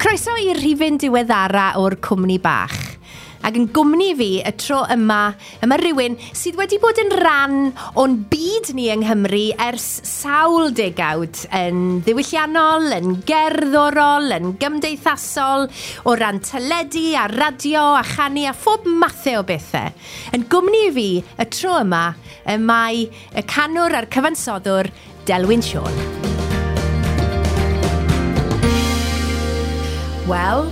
Croeso i'r rhifyn diweddara o'r Cwmni Bach. Ac yn gwmni fi y tro yma, yma rhywun sydd wedi bod yn rhan o'n byd ni yng Nghymru ers sawl degawd, yn ddiwylliannol, yn gerddorol, yn gymdeithasol, o ran teledu a radio a chanu a phob mathau o bethau. Yn gwmni fi y tro yma, y mae y canwr a'r cyfansoddwr Delwyn Siôn. Wel,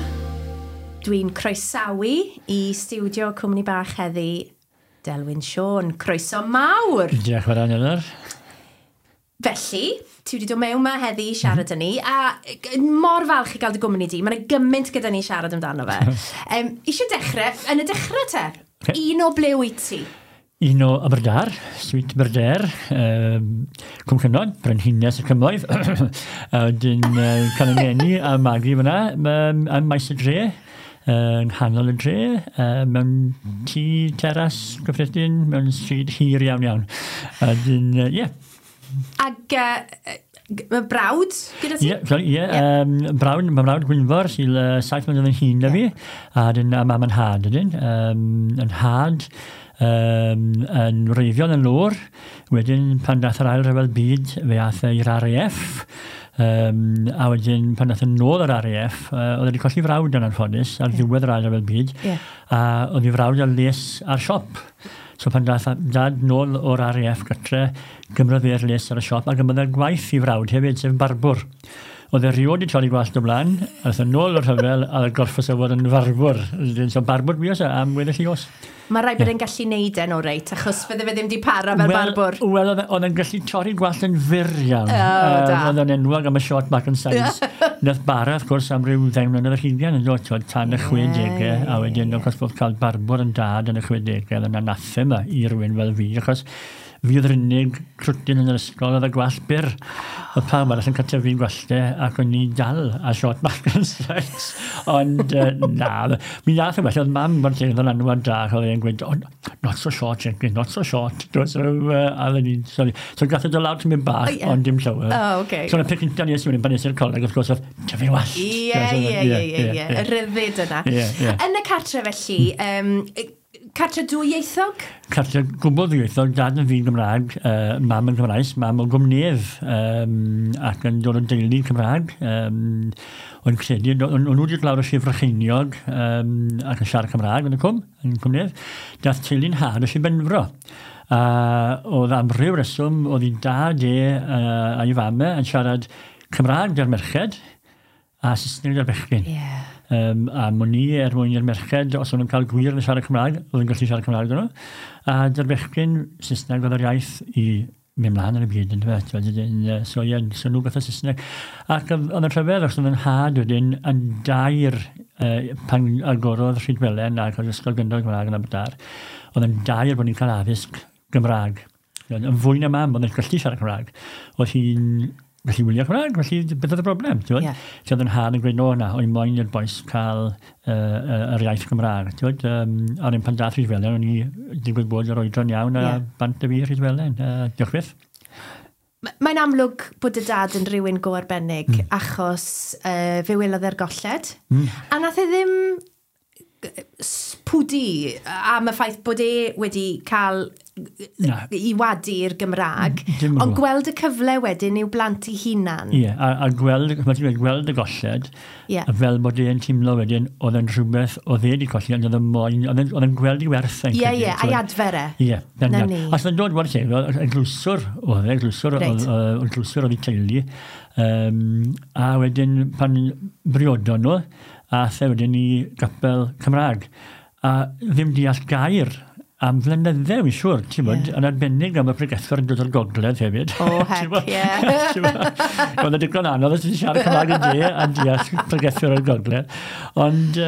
dwi'n croesawu i stiwdio Cwmni Bach heddi Delwyn Siôn. Croeso mawr! Diolch yn fawr iawn, Eleanor. Felly, ti wedi dod mewn 'ma heddi i siarad â ni, a mor falch i gael dy gwmni di. Mae yna gymaint gyda ni siarad amdano fe. Isio dechrau, yn y dechrau te, un o ble wyt ti? Un o Aberdâr, Sweet Aberdare, Cwm Cynon, Brenhines y Cymoedd. A wedyn cael ei ngeni a magu fyna, ym Maes y Dre, yng nghanol y dre, mewn tŷ teras gyffredin, mewn stryd hir iawn iawn. A wedyn, ie. Ac mae brawd gyda ti? Ie, sorry, ie. Brawd, mae brawd Gwynfor sy'n 7 mlynedd yn hŷn na fi, a dyn, a mam yn nhad ydyn. Yn nhad, yn wreiddiol yn lwr, wedyn pan dath yr ail rhyfel byd, fe ath e i'r RAF, a wedyn pan dath yn nôl yr RAF, oedd wedi colli frawd yn anffodus ar ddiwedd yr ail rhyfel byd, a oedd ei frawd ar les ar siop. So pan dath dad nôl o'r RAF gytre, gymrodd fe'r les ar y siop, a gymrodd e'r gwaith i frawd hefyd, sef barbwr. Oedd e rioed wedi torri gwallt o blaen, a aeth e nôl o'r rhyfel, a oedd gorffos o fod yn farbwr. So barbwr bues e am weddill ei oes. Mae rhaid bod e'n gallu neud e'n oreit, achos fydde fe ddim wedi para fel barbwr. Wel, oedd e'n gallu torri gwallt yn fyr iawn. O, da. Oedd o'n enwog am y short back and sides. Nath bara, wrth gwrs, am ryw 10 mlynedd ar hugain yn dod, t'wod, tan y 60au, a wedyn, wrth gwrs, bod cael barbwr yn dad yn y 60au, oedd yn anathema i rywun fel fi, achos fi oedd yr unig crwtyn yn yr ysgol oedd y gwallt byr. Oedd pawb arall yn cael tyfu'n gwallte ac o'n i dal a short back and sides. Ond na, mi nath e well, oedd mam o'r lle oedd yn anwad da, oedd e'n gweud, oh, not so short, Jenkins, not so short. So, a oedden ni'n, sorry. So gath e dod lawr tymed bach, ond dim llawer. Oh, okay. So, y peth cyntaf nes i wedyn pan nes i'r coleg, wrth gwrs, oedd tyfu wallt. Ie. Y rhyddid yna. Ie, ie. Yn y cartre felly, cartre dwyieithog? Cartre gwbl ddwyieithog, dad yn fi'n Gymraeg, mam yn Gymraes, mam o Gwmnedd, ac yn dod o deulu Cymraeg. O'n credu, o'n nhw wedi dod lawr o Sir Frycheiniog, ac yn siarad Cymraeg yn y cwm, yn Gwmnedd. Dath teulu'n nhad o Sir Benfro. A oedd am ryw reswm, oedd ei dad e a'i fam e yn siarad Cymraeg gyda'r merched a Saesneg gyda'r bechgyn. A mwyn ni, er mwyn i'r merched, os o'n nhw'n cael gwir yn siarad Cymraeg, oedd yn gallu siarad Cymraeg gyda nhw. A dy'r bechgyn, Saesneg oedd yr iaith i mynd mlaen yn y byd, yndyfe? T'wod, so, ie, so nhw gath y Saesneg. Ac oedd yn rhyfedd, achos oedd yn nhad wedyn yn dair, pan agorodd Rhydwelen ac oedd Ysgol Gynradd Gymraeg yn Aberdâr, oedd yn dair bod ni'n cael addysg Gymraeg. Yn fwy na mam, oedd yn gallu siarad Cymraeg. Oedd hi'n gallu wylio Cymraeg, felly beth oedd y broblem, ti'n gwbod? Lle oedd yn nhad yn gweud, no, na, o'n i'n moyn i'r bois cael yr iaith Gymraeg, ti'n gwbod? A wedyn pan dath Rhydwelen, o'n i digwydd bod yr oedran iawn a bant y fi Rhydwelen. Diolch byth. Mae'n amlwg bod y dad yn rhywun go arbennig, achos fe welodd e'r golled. A nath e ddim pwdu am y ffaith bod e wedi cael Na. i wadu'r Gymraeg, Dim yn ond gwbl. gweld y cyfle wedyn i'w blant i hunan. Ie, a gweld, mae ti'n dweud, gweld y golled, a fel bod e'n teimlo wedyn, oedd e'n rhywbeth oedd e wedi colli, ond oedd e'n moyn, oedd e'n gweld i werth e'n credu, Ie, a'i adfer e. Ie, na, Na na. ni. A oedd e'n dod, wel, lle, oedd eglwyswr, oedd e, eglwyswr, oedd eglwyswr oedd ei teulu, a wedyn pan briodon nhw, aeth e wedyn i gapel Cymraeg, a ddim deall gair am flynydde, wy'n siŵr, ti'n bod, yn arbennig am y pregethwr yn dod o'r gogledd hefyd. O, heck, Ti'n bod? ie. Ti'n bod? Oedd e digon anodd os ti'n siarad Cymraeg yn de a deall pregethwr o'r gogledd. Ond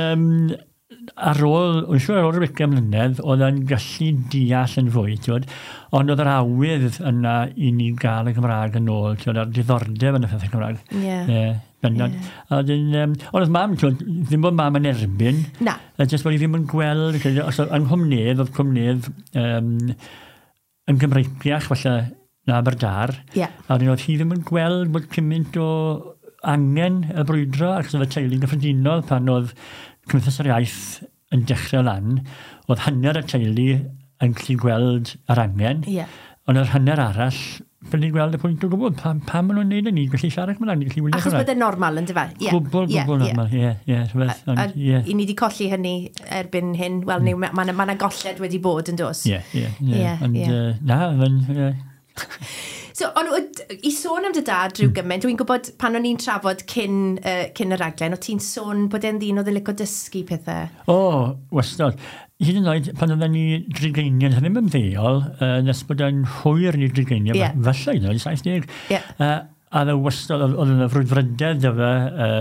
ar ôl, wy'n siŵr ar ôl ryw 20 mlynedd, oedd e'n gallu deall yn fwy, ti'n bod? Ond oedd yr awydd yna i ni gael y Gymraeg yn ôl, ti'n bod, a'r diddordeb yn y pethau Cymraeg. Ie, bendant. A wedyn, ond oedd mam, ti'n gwbod, ddim bod mam yn erbyn. Na. A jyst bod hi ddim yn gweld, credu, os oedd yng Nghymnedd, oedd Cwmnedd, yn Gymreiciach falle na Aberdâr. A wedyn oedd hi ddim yn gweld bod cymaint o angen y brwydro, ac oedd y teulu'n gyffredinol pan oedd Cymdeithas yr Iaith yn dechrau lan, oedd hanner y teulu yn gallu gweld yr angen, ond yr hanner arall ffili gweld y pwynt o gwbl. Pam maen nhw'n neud hynny? Gallu siarad Cymraeg, gallu wylio Achos bod e'n normal, yn dyfa? Gwbl, gwbl normal, ie, ie. A i ni wedi colli hynny erbyn hyn. Wel, mae yna golled wedi bod yn dos. Ie, ie, ie. Ond, na, mae'n, ie. So, ond i sôn am dy dad rhyw gymaint, dwi'n gwybod pan o'n i'n trafod cyn y raglen, o ti'n sôn bod e'n ddyn oedd yn licio dysgu pethau? O, wastad. Hyd yn oed, pan oedden ni drigeiniau, ddim ymddeol, nes bod e'n hwyr ni drigeiniau, falle hyd yn oed, 70. A dde wastad, oedd yna frwdfrydedd da fe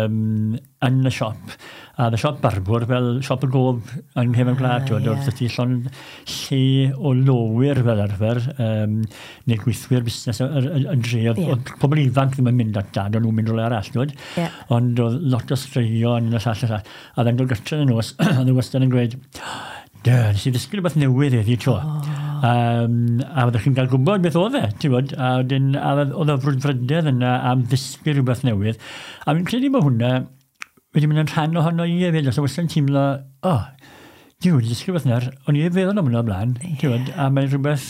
yn y siop. A y siop barbwr, fel siop y gob yng nghefn gwlad, oedd ti llond lle o lowyr fel arfer, neu gweithwyr busnes y dre. Oedd pobl ifanc ddim yn mynd at dad, o'n nhw'n mynd rhywle arall, twyd. Ond oedd lot o straeon yn y llall y llall. A dde'n dod gytre yn y nos, oedd wastad yn gweud, nes i ddysgu rhywbeth newydd heddi tro. A fyddwch chi'n cael gwybod beth oedd e, ti'n gwybod, a wedyn oedd y frwdfrydedd yna am ddysgu rhywbeth newydd. A fi'n credu bod hwnna wedi mynd yn rhan ohono i hefyd, os oes yn teimlo, dwi wedi dysgu rhywbeth nawr, o'n i feddwl am hwnna o'r blaen, ti'n gwybod, a mae'n rhywbeth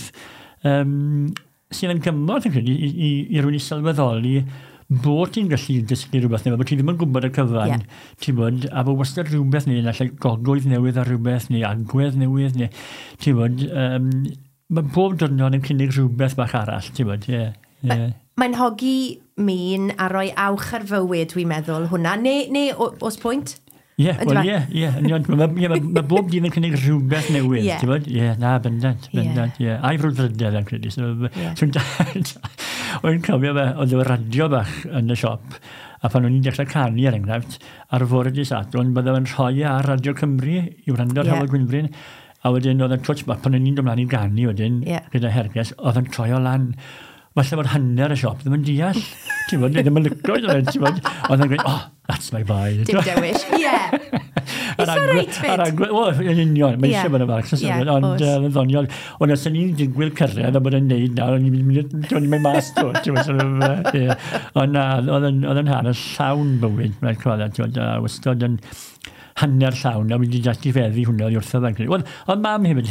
sydd yn gymorth yn credu i rywun i sylweddoli bod ti'n gallu dysgu rhywbeth newydd, bod ti ddim yn gwybod y cyfan, ti'n bod, a bod wastad rhywbeth neu allai gogwydd newydd ar rhywbeth, neu agwedd newydd, neu, ti'n bod, mae bob diwrnod yn cynnig rhywbeth bach arall, ti'n bod, ie. Mae'n hogi min a rhoi awch ar fywyd, dwi'n meddwl, hwnna, neu oes pwynt? Ie, wel ie, ie. Mae bob dydd yn cynnig rhywbeth newydd, ti'n bod? Ie, na, bendant, bendant, ie. A'i frwdfrydedd, yn credu. O'n cofio fe, oedd y radio bach yn y siop, a pan o'n i'n dechrau canu, er enghraifft, ar fore dydd Sadwrn, bydde fe'n rhoi ar Radio Cymru i wrando ar Hywel Gwynfryn, a wedyn oedd yn twtsh bach, pan o'n i'n dod mlaen i ganu wedyn, gyda Herges, oedd yn troi o lan. Falle bod hanner y siop ddim yn deall. Ti'n bod, ddim yn licio, ti'n bod. Oedd yn gweud, oh, that's my boy. Dim dewis, ie. Is that right, fit? O, yn union, mae eisiau bod yn fach, ond yn ddoniol. Ond os o'n i'n digwydd cyrraedd a bod yn neud nawr, o'n i'n mynd mas, ti'n bod. Ond na, oedd yn hanes llawn bywyd, mae'n cofio, ti'n bod, a wastad yn hanner llawn, a wedi dati feddu hwnna wrtho fe'n credu. Oedd mam hefyd,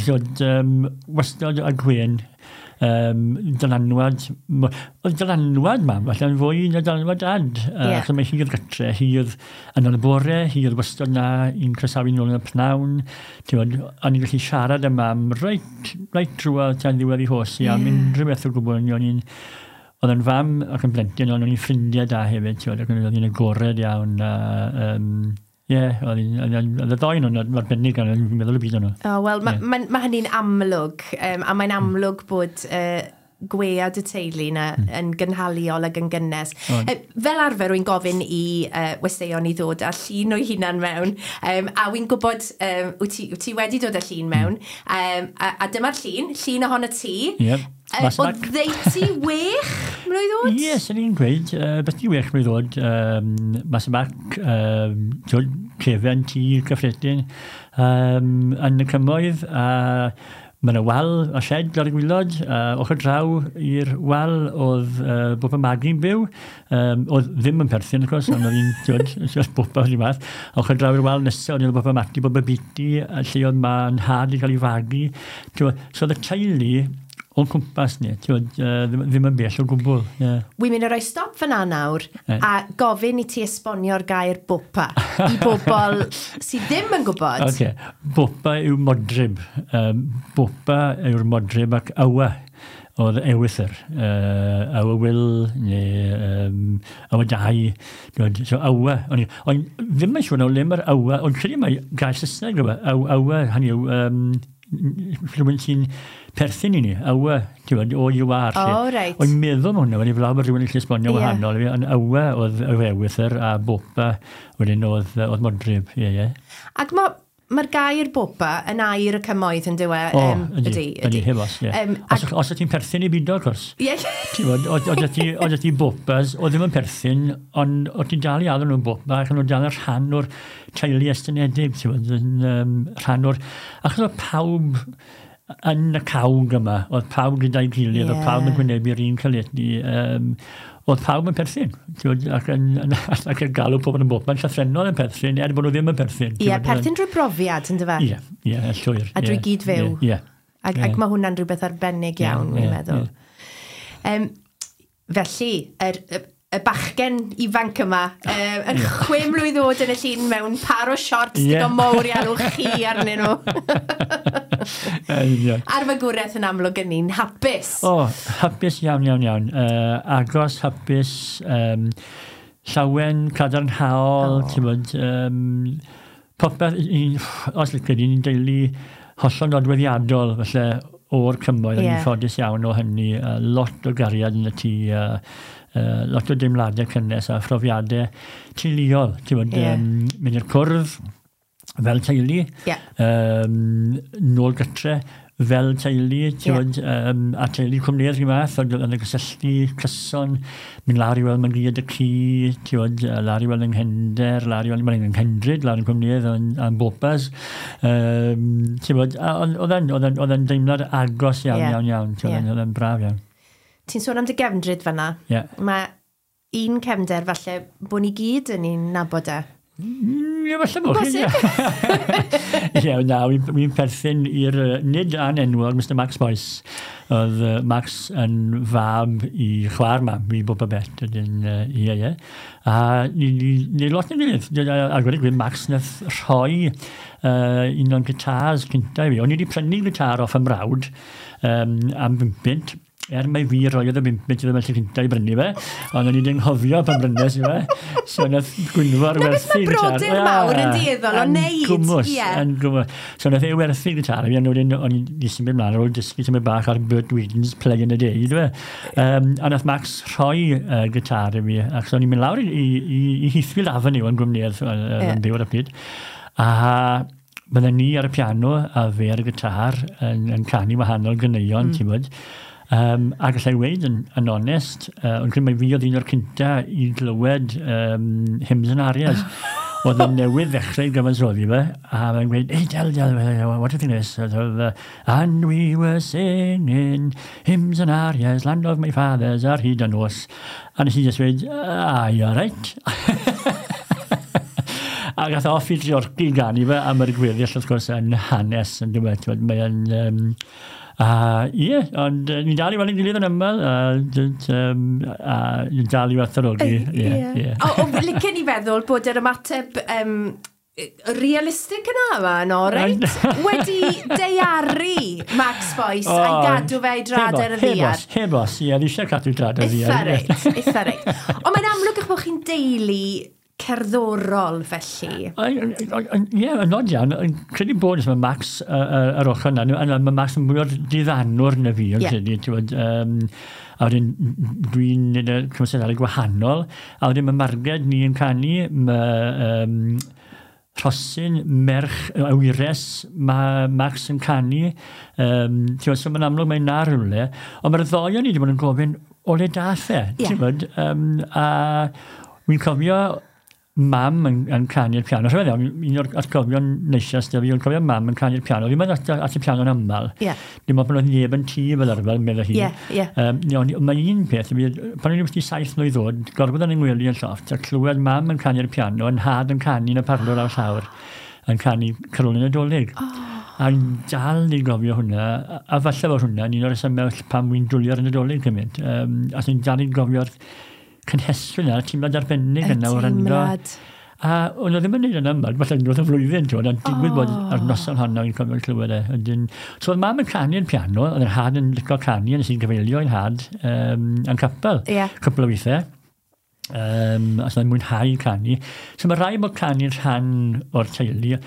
wastad a Gwen, dylanwad, oedd dylanwad mam, falle yn fwy na dylanwad dad. Achos mae hi oedd gytre, hi oedd yn ôl y bore, hi oedd wastad na i'n croesawu nôl yn y pnawn. Ti'n o'n i'n gallu siarad â mam reit drwodd tan ddiwedd ei hosi am unrhyw beth o gwbl. Oedd yn fam ac yn blentyn, ond o'n i'n ffrindiau da hefyd, ti'n ac oedd hi'n agored iawn. Ie, oedd y ddoi nhw'n arbennig, ond o'n meddwl y byd o'n nhw. O, wel, mae hynny'n amlwg, a mae'n amlwg bod gwead y teulu na yn gynhaliol ac yn gynnes. Fel arfer, wy'n gofyn i westeion i ddod â llun o'i hunan mewn, a wy'n gwybod, wyt ti wedi dod â llun mewn, a dyma'r llun ohono ti. Ie. O ddeutu 6 mlwydd oed? Ie, sy'n ni'n gweud, beth i 6 mlwydd oed, mas y bac, cefen tŷ cyffredin, yn y cymoedd, a mae yna wal a shed ar y gwylod, ochr draw i'r wal oedd Boba Magi'n byw, oedd ddim yn perthyn, of course, ond oedd hi'n Boba o'r fath. Ochr draw i'r wal nesaf, oedd Boba Mati, Boba Biti, lle oedd ma'n nhad i cael ei fagu. So oedd y teulu o'n cwmpas ni, ddim yn bell o gwbl. Wi'n mynd i roi stop fyna nawr a gofyn i ti esbonio'r gair bopa i bobl sydd ddim yn gwybod. Okay. Bopa yw modryb. Bopa yw'r modryb ac awa oedd ewythr. Awa Will neu awa Dai. So awa. O'n ddim yn siŵr o le mae'r awa, ond credu mai gair Saesneg yw e. Awa, hynny yw, rhywun sy'n perthyn i ni, awa, ti'n gwybod, o you are. Oh, right. O'n meddwl am hwnna, wedi flaw bod rhywun yn gallu esbonio wahanol, ond awa oedd ewythr a bopa, wedyn oedd modryb, ie, ie. Ac mae'r gair bopa yn air y cymoedd yn dyw e? O, ydy, heb os, ie. Os ti'n perthyn i bido, of course. Ie. Ti'n gwybod, oedd ti bopas, oedd ddim yn perthyn, ond oedd ti'n dal i alw nhw'n bopa, ac o'n dal yn rhan o'r teulu estynedig, ti'n gwybod, rhan o'r... Achos oedd pawb yn y cawg yma, oedd pawb gyda'i gilydd, oedd pawb yn gwynebu'r un caledu, Oedd pawb yn perthyn, ac yn galw pobl yn bobman, llythrennol yn perthyn, er bod nhw ddim yn perthyn. Ie, perthyn drwy brofiad, yn dyfe? Ie, ie, llwyr. A drwy gyd fyw. Ie. Ac mae hwnna'n rhywbeth arbennig iawn, fi'n meddwl. Felly, y bachgen ifanc yma, yn 6 mlwydd oed yn y llun mewn par o shorts digon mowr i alw chi arnyn nhw. A'r fagwraeth yn amlwg yn un hapus. O, hapus iawn, iawn, iawn. Agos, hapus, llawen, cadarnhaol, ti'n bod, popeth, os liced, ni'n deulu hollol nodweddiadol, felly, o'r cymoedd, yn ffodus iawn o hynny, lot o gariad yn y tŷ, lot o deimladau cynnes a phrofiadau teuluol. Ti'n bod, mynd i'r cwrdd fel teulu, nôl gytre fel teulu, ti'n bod, a teulu Cwmnedd rhyw fath, oedd yn gysylltu cyson, mynd lawr i weld Margiad y ci, ti'n bod, lawr i weld yng Nghendr, lawr i weld yng Nghendryd, lawr yn Cwmnedd, yn Bopas. Ti'n bod, oedd e'n deimlad agos iawn, iawn, iawn, ti'n bod, oedd e'n braf iawn. Ti'n sôn am dy gefndryd fanna. Mae un cefnder falle bod ni gyd yn ein nabod e. Ie, falle bod chi. Ie, na, wy'n perthyn i'r nid anenwog Mr Max Boyce. Oedd Max yn fab i chwaer mam, i Boba Bet. Ie, ie. A ni lot yn gilydd. A gweud y gwir, Max nath rhoi un o'n gitars cynta i fi. O'n i wedi prynu gitar off ymrawd am 5 bunt. Mai fi roedd y 5 bunt iddo fe lle cynta i brynu fe, ond o'n i wedi anghofio pan brynes i fe. So nath Gwynfor werthu gitar. Na beth mae brodyr mawr yn dueddol o wneud. Gwmws, yn gwmws. So nath e werthu gitar i fi, ond wedyn o'n i symud mlaen ar ôl dysgu symud bach ar Bert Weedon's Play in a Day, dwi. A nath Max rhoi gitar i fi, ac so o'n i'n mynd lawr i Heathfield Avenue yn Gwmnedd, yn byw ar y pryd. A bydden ni ar y piano a fe ar y gitar yn canu wahanol ganeuon, ti'n bod. A gallai weud yn onest, ond credu mai fi oedd un o'r cynta i glywed hymns and arias. Oedd yn newydd ddechrau gyfansoddi fe, a mae'n gweud, "Hey, Del, Del, what do you think of this?" "And we were singing hymns and arias, land of my fathers, ar hyd y nos." A nes i just weud, "Ah, you're right." A gath off i Treorci ganu fe, a mae'r gweddill, wrth gwrs, yn hanes, yn dweud, mae'n... Ie, ond ni'n dal i weld ein gilydd yn aml, a ni'n dal i werthfawrogi. Ie. O, licen i feddwl bod yr ymateb realistig yna yma, yn oreit? Wedi daearu Max Boyce a'i gadw fe i drad ar y ddiar. Heb os, ie, fi eisiau cadw drad ar y ddiar. Eitha reit, eitha reit. Ond mae'n amlwg eich bod chi'n deulu cerddorol felly. Ie, yn od iawn. Credu bod mae Max yr ochr yna, mae Max yn mwy o'r diddanwr na fi, yn credu. A wedyn dwi'n neud y cymwysterau gwahanol, a wedyn mae Marged ni yn canu, mae Rhosyn, merch, awyres, mae Max yn canu. So mae'n amlwg mae'n na rhywle. Ond mae'r ddoi o'n i wedi bod yn gofyn, o le dath e? A wy'n cofio mam yn canu'r piano. Rhyfedd iawn, un o'r atgofion neisias da fi, o'n cofio mam yn canu'r piano. Fi'n mynd at y piano'n aml. Dim ond pan oedd neb yn tŷ fel arfer, meddai hi. Mae un peth, pan o'n i wedi 7 mlwydd oed, gorfod yn yng ngwely yn llofft, a clywed mam yn canu'r piano, yn nhad yn canu yn y parlwr ar llawr, yn canu Carolyn Nadolig. A dal i gofio hwnna, a falle fod hwnna, un o'r resymau pam wy'n dwlu ar y Nadolig cymaint. A sy'n dal i gofio'r cynhesrwydd yna, teimlad arbennig yna o wrando. A o'n nhw ddim yn neud yn aml, falle unwaith y flwyddyn, ti'n gwbod, ond digwydd bod ar noson honno i'n cofio clywed e. So oedd mam yn canu'r piano, oedd yr had yn licio canu, nes i'n gyfeilio i'n had yn capel, cwpl o weithiau. A so oedd mwynhau canu. So mae rhaid bod canu'n rhan o'r teulu,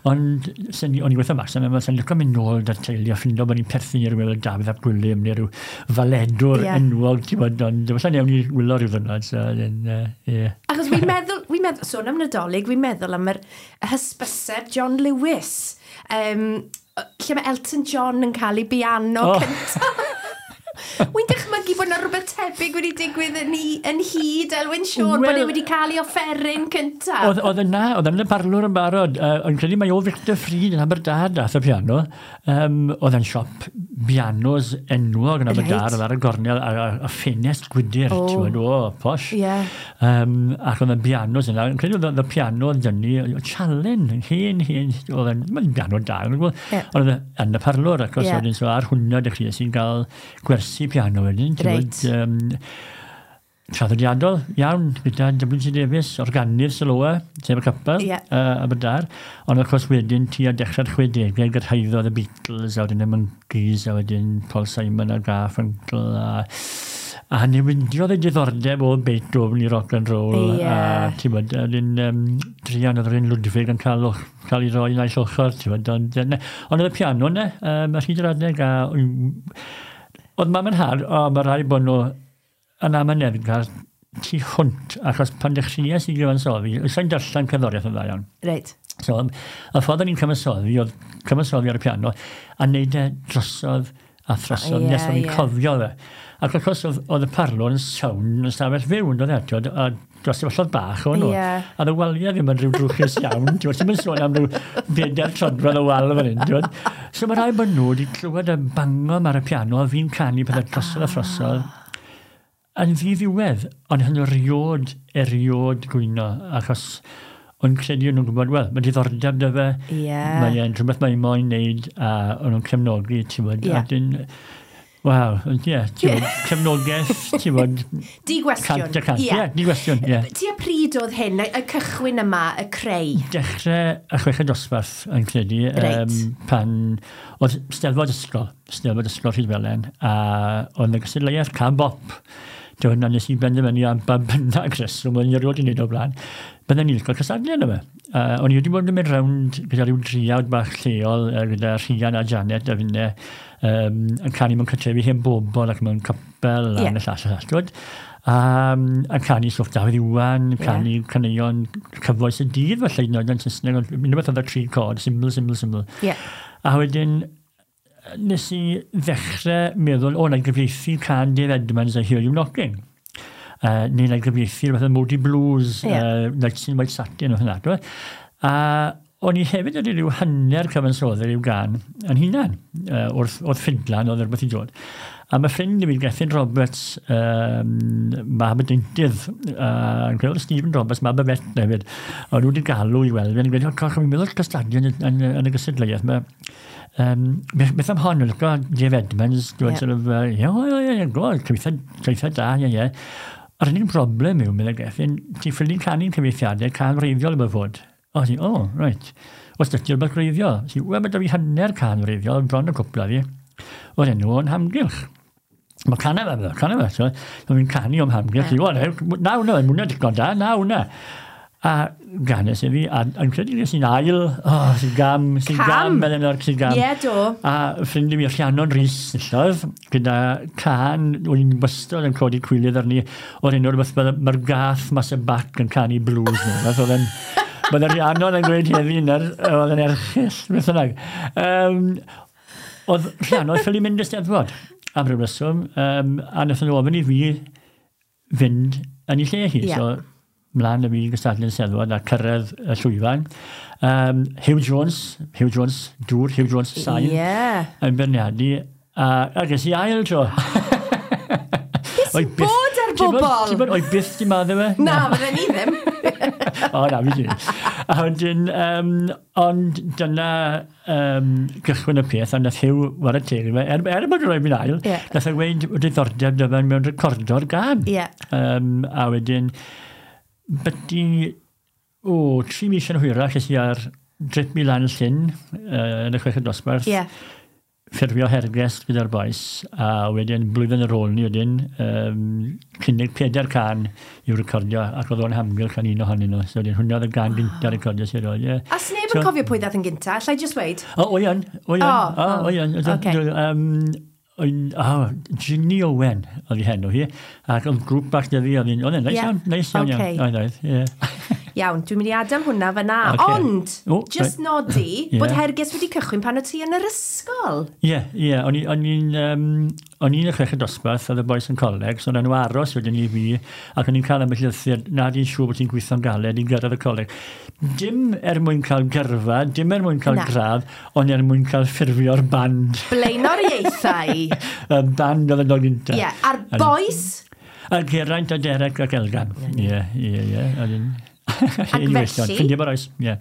ond o'n i'n gweithio Max, ond sy'n licio mynd nôl da'r teulu a ffindo bod ni'n perthyn i rhywun fel Dafydd ap Gwilym neu rhyw faledwr enwog, ti'n bod, ond falle newn ni wylo rhyw ddwrnod. So, Achos fi'n meddwl, sôn am Nadolig, fi'n meddwl am yr hysbyseb John Lewis, lle mae Elton John yn cael ei biano cyntaf. Wy'n dychmygu bod yna rhywbeth tebyg wedi digwydd yn hyd Elwyn Siôn, bod e wedi cael ei offeryn cyntaf. Oedd yna, oedd yn y parlwr yn barod. O'n credu mai o Victor Freed yn Aberdâr dath y piano. Oedd yn siop bianos enwog yn Aberdâr, oedd ar y gornel, a ffenest gwydr, ti'n gwybod, o, posh. Ac oedd y bianos yna, yn credu oedd y piano oedd dynnu, Chalen, hen, oedd yn piano da, ond oedd yn y parlwr, ac os wedyn, so ar hwnna dechreuais i'n cael gwersi piano wedyn, ti'n gwybod, traddodiadol iawn, gyda W.T. Davies, organydd Siloa, sef y capel, Aberdâr. Ond of course wedyn tua dechrau'r 60au gyrhaeddodd y Beatles, a wedyn y Monkeys, a wedyn Paul Simon a Garfunkel, a newidiodd y diddordeb o Beethoven i rock and roll. A ti'n bod, wedyn druan oedd yr un Ludwig yn cael ei roi naill ochr, ti'n bod. Ond oedd y piano yna, ar hyd yr adeg, a oedd mam yn nhad, o, mae rhaid bod nhw yn amyneddgar tu hwnt, achos pan dechreuais i gyfansoddi, sa'n darllen cerddoriaeth yn dda iawn. Reit. So, y ffordd o'n i'n cyfansoddi, oedd cyfansoddi ar y piano, a neud e drosodd a throsodd, nes o'n i'n cofio fe. Ac wrth gwrs, oedd y parlwr yn sawn yn stafell fyw, yn dod eto, a dros y bach o'n nhw. A y waliau ddim yn rhyw drwchus iawn, ti'n mynd sôn am rhyw 4 troedfedd o wal fan hyn, ti'n. So mae rhai bod nhw wedi clywed y bango ar y piano, a fi'n canu pethau drosodd a throsodd. Yn ddiddiwedd, ond hyn eriod gwyno, achos o'n credu o'n nhw'n gwybod, wel, mae diddordeb dy fe, mae e'n rhywbeth mae'n moyn wneud, a o'n nhw'n cefnogi, ti'n bod, a dyn, waw, ie, ti'n bod, cefnogaeth, ti'n bod, di gwestiwn. 100%, ie, di gwestiwn, ie. Tua pryd oedd hyn, y cychwyn yma, y creu? Dechrau y chweched dosbarth, yn credu, pan oedd Steddfod Ysgol Rhydfelen, a oedd y gystadleuaeth Cân Bop. Dwi'n nes i benderfynu am ba bynnag reswm, o'n i erioed i wneud o blaen, bydden ni'n cael cystadlu yna fe. O'n i wedi bod yn mynd rownd gyda rhyw driawd bach lleol, gyda Rhian a Janet a finne, yn canu mewn cartrefi hen bobl ac mewn capel a y llall a llall. Yn canu stwff Dafydd Iwan, canu caneuon cyfoes y dydd falle, hyd yn oed yn Saesneg, ond unrhyw beth oedd y tri cord, syml, syml, syml. A wedyn, nes i ddechrau meddwl, o, na i gyfieithu cân Dave Edmunds a Hear You Knocking. Neu na i gyfieithu rhywbeth o Moody Blues, Nights in White Satin, o hynna. A o'n i hefyd wedi rhyw hanner cyfansoddi rhyw gân yn hunan, wrth ffidlan oedd rhywbeth i dod. A mae ffrind i fi, Gethin Roberts, mab y deintydd, yn credu Stephen Roberts, mab y fet hefyd, o'n nhw wedi galw i weld fi, yn gweud, coch, fi'n meddwl cystadlu yn y gystadleuaeth. Beth am hon, licio Dave Edmunds, dwi'n sort of, ie, cyfieithiad da, ie. A'r unig broblem yw, meddai Gethin, ti'n ffili canu'n cyfieithiadau cân wreiddiol efo fod. O, ti, o, reit. Os dydy rhywbeth gwreiddiol. Si, wel, mae da fi hanner cân wreiddiol, bron y cwpla fi. O'r enw o'n hamgylch. Mae cana fe, so fi'n canu o'm hamgylch. O, na hwnna, mwna digon da, na hwnna. A ganes i fi, a yn credu nes i'n ail, sy'n gam, Eleanor, sy'n gam. Ie, do. A ffrind i fi, Rhiannon Rhys, nillodd, gyda can, o'n i'n wastad yn codi cwilydd arni, o'r enw rhywbeth, mae'r gath mas y bac yn canu blues. Fath oedd yn, bydd Rhiannon yn gweud heddi, oedd yn erchyll, beth bynnag. Oedd Rhiannon ffili mynd y Steddfod am ryw reswm, a wnaethon nhw ofyn i fi fynd yn ei lle hi. So, mlaen y fi gystadlu'n Steddfod a cyrraedd y llwyfan. Hugh Jones, dŵr, Hugh Jones sain, yn beirniadu, a ges i ail tro. Beth sy'n bod ar bobl? Ti'n bod, o'i byth di maddau fe? Na, fydden ni ddim. O, na, fi di. A wedyn, ond dyna gychwyn y peth, a nath Hugh wara teg i fe, er bod rhoi fi'n ail, nath e weud diddordeb dy fe mewn recordo'r gân. A wedyn, byti, 3 mis yn hwyrach, es i ar drip mi lan Llyn, yn y chweched dosbarth, ffurfio hergest gyda'r bois, a wedyn blwyddyn ar ôl ni wedyn, cynnig 4 cân i'w recordio, ac oedd o'n hamgylch yn un ohonyn nhw. So wedyn, hwnna oedd y gân gyntaf recordio sy'n roedd, ie. A sneb yn cofio pwy ddaeth yn gyntaf, allai just weud? O, o'i yn. Ginny Owen oedd hi henw hi, ac oedd grŵp bach da fi, oedd hi'n, oedd e'n neis iawn, neis iawn, oedd, ie. Iawn, dwi'n mynd i adael hwnna fyna. Ocê. Ond, O, just reit. nodi bod Herges wedi cychwyn pan o ti yn yr ysgol. Ie, ie, o'n i'n y chweched dosbarth, oedd y bois yn coleg, so o'n nhw aros wedyn i fi, ac o'n i'n cael ambell lythyr, na di'n siŵr bod ti'n gweithio'n galed i gyrraedd y coleg. Dim er mwyn cael gyrfa, dim er mwyn cael Na. gradd, ond er mwyn cael ffurfio'r band. Blaenoriaethau. Y band oedd yn dod gynta. Ie, a'r bois. A Geraint a Derek ac Elgan. Ie, ie, ie. Ac felly- Ffrindiau bo'r oes, ie.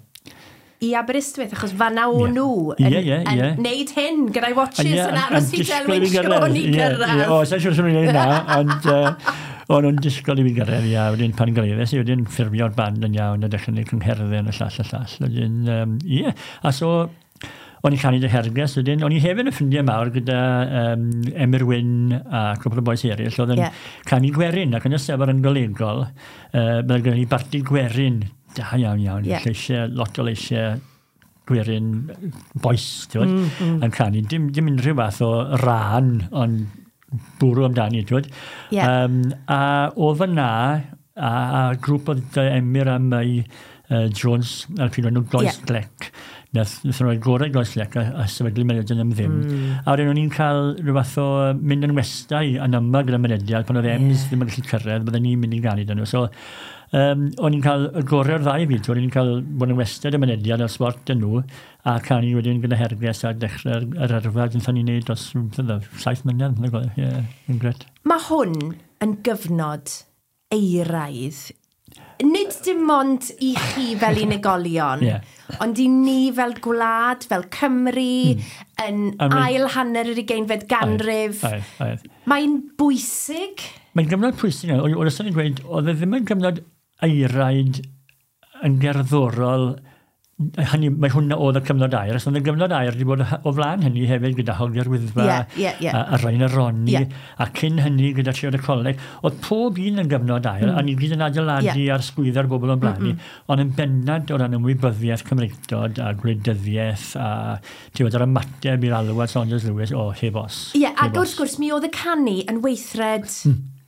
I Aberystwyth, achos fanna o'n Ie. nhw Ie, yn, ie, yn ie. neud hyn gyda'i watches Ie, yn aros i disgwyl Delwyn i fi gyrraedd. Siôn i Ie, ie. gyrraedd. O, sa'n siŵr os o'n i'n neud na, ond o'n nhw'n disgwyl i fi gyrraedd, ia, wedyn pan gyrraeddes i, wedyn ffurfio'r band yn iawn, a dechrau gwneud cyngherddau yn y llall y llall. Wedyn, ie, a so, o'n i'n canu dy Herges, wedyn, o'n i hefyd yn ffrindiau mawr gyda Emyr Wyn a cwpl o bois eraill, oedd yn Ie. canu gwerin, ac yn y sefyll yn golegol, byddai gen i barti gwerin, da iawn iawn, Ie. lleisiau, lot o leisiau gwerin boes, ti'n mm. yn canu. Dim unrhyw fath o ran, ond bwrw amdani, ti'n gwbod. Ie. A o fyna, a grŵp oedd Emyr a May Jones, ar pryd o'n nhw Goes Ie. Glec. Nath nhw roi gorau Goes Glec a sefydlu mynediad am ddim. A wedyn o'n i'n cael rhyw fath o mynd yn westai yn yma gyda mynediad, pan oedd Ems ddim yn gallu cyrraedd, bydden ni'n mynd i ganu dyn nhw. So, o'n i'n cael y gorau o'r ddau fyd, o'n i'n cael bod yn westad y mynediad a'r sbort dyn nhw, a canu wedyn gyda Herges a dechrau'r yr yrfa dyn ni'n neud dros 7 mlynedd. Ie, yn gret. Mae hwn yn gyfnod eiraidd. Nid dim ond i chi fel unigolion, Ie. ond i ni fel gwlad, fel Cymru, yn A mae- ail hanner yr 20fed ganrif. Oedd, oedd. Mae'n bwysig. Mae'n gyfnod pwysig. Oedd wastad yn gweud, oedd e ddim yn gyfnod eiraid yn gerddorol, hynny, mae hwnna oedd y cyfnod aur, os oedd y gyfnod aur wedi bod o flaen hynny hefyd gyda Hogiau'r Wyddfa Ie, ie, ie. a Rhain a Roni, Ie. a cyn hynny gyda Triod y Coleg. Oedd pob un yn gyfnod aur, a ni gyd yn adeiladu Ie. ar sgwyddo'r bobl o'n blaen ni, ond yn bennad o ran ymwybyddiaeth Cymreictod a gwleidyddiaeth a ti'n gwbod, yr ymateb i'r alwad Saunders Lewis, o, heb os. Ie, ac heb os. wrth gwrs, mi oedd y canu yn weithred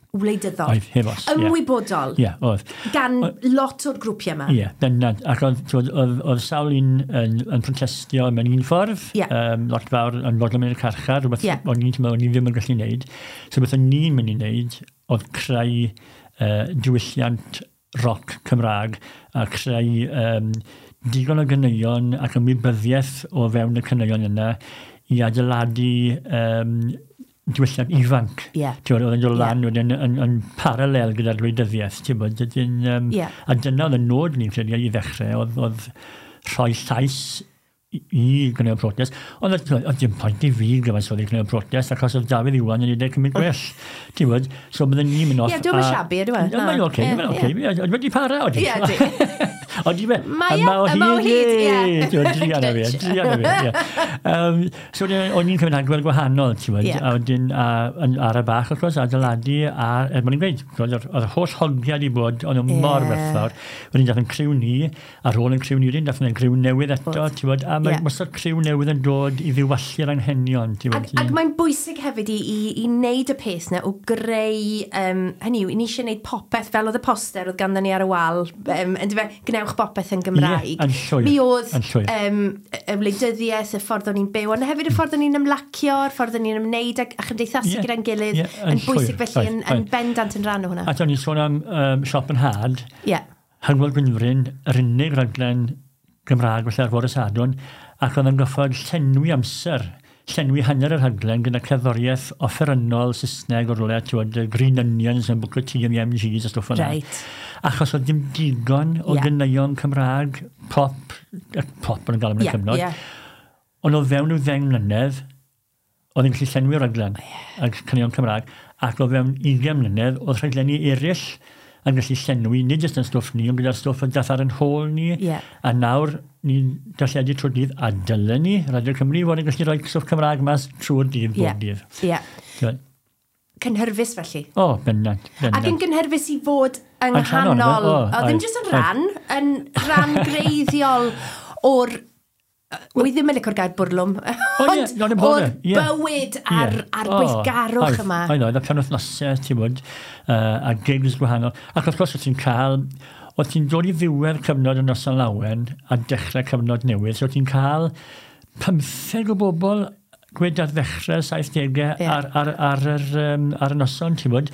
wleidyddol. Oedd, heb os, ie. Ymwybodol. Ie, oedd. Gan lot o'r grwpiau yma. Ie, bendant. Ac oedd, t'wod, oedd sawl un yn protestio mewn un ffordd, Ie. Lot fawr yn fodlon mynd i'r carchar, rhywbeth Ie. o'n i'n teimlo o'n i ddim yn gallu wneud. So beth o'n i'n mynd i wneud oedd creu diwylliant roc Cymraeg a creu digon o ganeuon ac ymwybyddiaeth o fewn y caneuon yna i adeiladu diwylliant ifanc. Ie. Ti'n gwbod, oedd yn dod Ie. lan wedyn yn paralel gyda'r gwleidyddiaeth, ti'n gwbod, dydyn, Ie. a dyna oedd y nod ni'n credu i ddechrau, oedd rhoi llais i gwneud protest. Ond oedd dim pwynt i fi gyfansoddi gwneud protest, achos oedd Dafydd Iwan yn ei cymryd gwell. Ti'n gwbod, so bydden ni'n mynd off. Ie, dwi'm yn shabby, ydw e? Ie, Mae'n oce, Ie, mae'n oce. Oedd wedi para, oedd. Ie, di. Ond i fe, Mae e, yma o hyd, ie. Ti'n gwbod, druan â fi, druan â fi, ie. So o'n i'n cymryd agwedd gwahanol, ti'n gwbod, Ie. a wedyn ar y bach, wrth gwrs, adeiladu, a er mwyn i'n gweud, ti'n gwbod, oedd yr holl hogiau 'di bod, o'n nhw mor Ie. werthfawr. Wedyn dath yn criw ni, ar ôl yn criw ni, wedyn dath yn criw newydd eto, ti'n gwbod, a mae Ie. wastad criw newydd yn dod i ddiwallu'r anghenion, ti'n Ac, gwbod. ac mae'n bwysig hefyd i wneud y peth na o greu, hynny yw, ni eisiau gwneud popeth fel oedd y poster oedd ganddo ni ar y wal, yndyfe, gwnewch bopeth yn Gymraeg. Ie, yn llwyr, Mi oedd yn llwyr. y wleidyddiaeth, y ffordd o'n i'n byw, ond hefyd y ffordd o'n i'n ymlacio, y ffordd o'n i'n ymwneud a chymdeithasu Ie, gyda'n gilydd, ie, yn yn bwysig llwyr, felly, oedd, yn oedd. bendant yn rhan o hwnna. A o'n i'n sôn am Siop yn Had, Ie, Hywel Gwynfryn, yr unig raglen Gymraeg felly ar fore Sadwrn, ac oedd yn goffod llenwi amser, llenwi hanner yr rhaglen gyda cerddoriaeth offerynnol Saesneg o rywle, ti'n gwbod, y Green Onions yn Booker T and the MGs a stwff yna. Reit. Achos oedd dim digon o Ie. ganeuon Cymraeg, pop, pop yn gael yn y Ie, cyfnod. ie. Ond o fewn i'w 10 mlynedd, oedd yn gallu llenwi'r rhaglen ag caneuon Cymraeg, ac o fewn 20 mlynedd, oedd rhaglenni eraill yn gallu llenwi, nid jyst yn stwff ni, ond gyda'r stwff yn dath ar yn hôl ni, Ie. a nawr ni'n darlledu trwy'r dydd, a dylen ni, Radio Cymru, fod yn gallu rhoi stwff Cymraeg mas trwy'r dydd, bob Ie. dydd. Ie. Ti'n- Cynhyrfus felly. O, bendant, Ac yn bendant. gynhyrfus i fod yng Yn rhan ohono fe, nghanol, o, o, ddim oedd, jyst yn oedd. rhan, yn rhan greiddiol o'r, wi ddim yn licio'r gair bwrlwm, O, ie, ond no, dim o'r bother, ie. bywyd a'r, Ie. a'r O, gweithgarwch oedd, yma. Oedd, oedd, a penwythnosau, ti'n bod, a gigs gwahanol. Ac wrth gwrs, oedd ti'n cael, oedd ti'n dod i ddiwedd cyfnod y Noson Lawen a dechrau cyfnod newydd, so ti'n cael 15 o bobl gwed ar ddechrau 70au ar y noson, ti'n bod,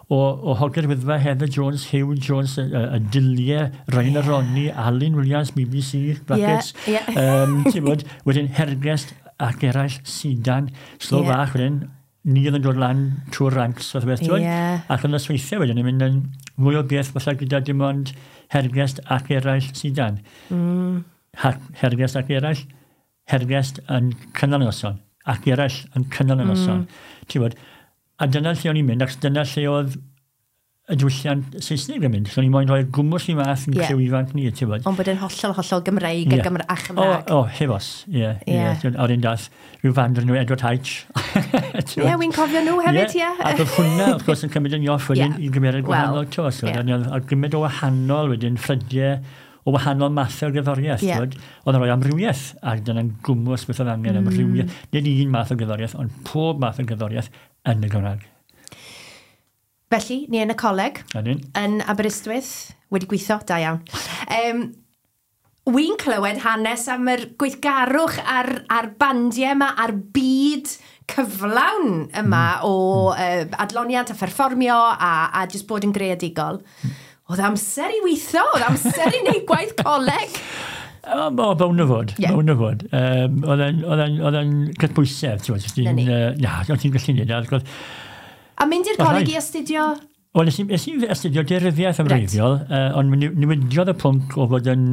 o Hogiau'r Wyddfa, Heather Jones, Hugh Jones, y Diliau, Ryan yeah. Ronnie, Alun Williams, BBC, brackets, ti'n bod, wedyn Hergest ac eraill, Sidan, slow bach wedyn, ni oedd yn dod lan trwy'r ranks, fath o beth, ti'n bod? Ac yn nosweithiau wedyn, yn mynd yn mwy o beth falle gyda dim ond Hergest ac eraill Sidan. Hergest ac eraill, Hergest yn cynnal y noson, ac eraill yn cynnal y noson. Ti'n bod, a dyna lle o'n i'n mynd, ac dyna lle oedd y diwylliant Saesneg yn mynd. So o'n i'n moyn rhoi gwmws i math yn criw ifanc ni, ti'n bod. Ond bod yn hollol, hollol Gymreig a Chymraeg. O, heb os, ie. O'r un dath, rhyw fand o'r enw Edward Heitch. Ie, wy'n cofio nhw hefyd, ie. Ac oedd hwnna, wrth gwrs, yn cymryd yn off wedyn i gymeriad gwahanol, to. So, a gymaint o wahanol wedyn, ffrydiau o wahanol mathau o gerddoriaeth. Oedd yn rhoi amrywiaeth, ac dyna'n gwmws beth oedd angen amrywiaeth. Nid un math o gerddoriaeth, ond pob math o gerddoriaeth yn y Gymraeg. Felly, ni yn y coleg, yn Aberystwyth, wedi gweithio, da iawn. Wy'n clywed hanes am yr gweithgarwch a'r bandiau yma, a'r byd cyflawn yma o adloniant a pherfformio a jyst bod yn greadigol. Oedd amser i weithio, oedd amser i wneud gwaith coleg. O, bawn o fod, bawn o fod. Oedd e'n cydbwysedd, ti'n gwybod. Na, oedd ti'n gallu neud. A mynd i'r coleg i astudio? Wel, nes i astudio daearyddiaeth yn wreiddiol, ond newidiodd y pwnc o fod yn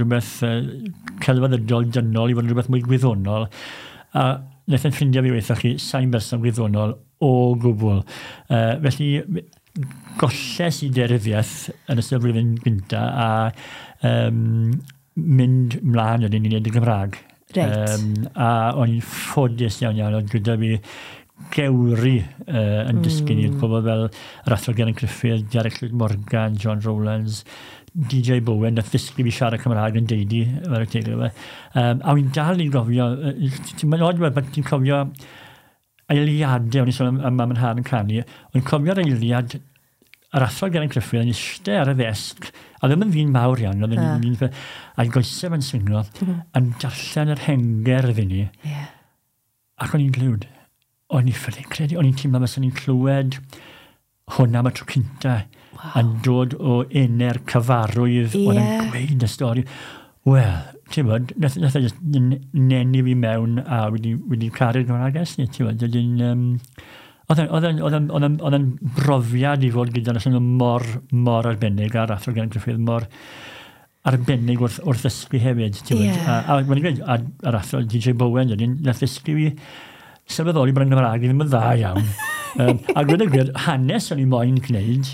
rhywbeth celfyddydol dynol i fod yn rhywbeth mwy gwyddonol. A wnaeth yn ffrindiau fi weithio chi, sa'n berson gwyddonol o gwbl. Felly, golles i daearyddiaeth yn ystod y flwyddyn gyntaf a mynd mlaen wedyn i wneud y Gymraeg. Reit. A o'n i'n ffodus iawn iawn, oedd gyda fi gewri yn dysgu ni, pobl fel yr Athro Geraint Gruffydd, Derek Llwyd Morgan, John Rowlands, DJ Bowen, nath ddysgu fi siarad Cymraeg yn deidi, fel y teulu fe. A wy'n dal i'n gofio, ti'n mynd oed, ti'n cofio eiliadau, o'n i'n sôn am mam yn nhad yn canu, o'n cofio'r eiliad yr Athro Geraint Gruffydd yn eistedd ar y ddesg, a ddim yn ddyn mawr iawn, oedd yn ddyn, a'i goesau fe'n swingo, yn darllen yr hengerdd i ni, ac o'n i'n glywed. O'n i'n ffili credu, o'n i'n teimlo fel o'n i'n clywed hwnna am y tro cynta yn dod o enau'r cyfarwydd oedd yn gweud y stori. Wel, ti'n bod, nath e just nenu fi mewn a wedi caru'r Gymraeg ers ni, ti'n bod. Oedd e'n brofiad i fod gyda nhw mor, mor arbennig, a'r Athro Geraint Gruffydd mor arbennig wrth ddysgu hefyd, ti'n bod. A wedi gweud, a'r Athro DJ Bowen, nath ddysgu fi sylweddoli bod yn Gymraeg i ddim yn dda iawn. A gwed y gwir, hanes o'n i moyn gwneud,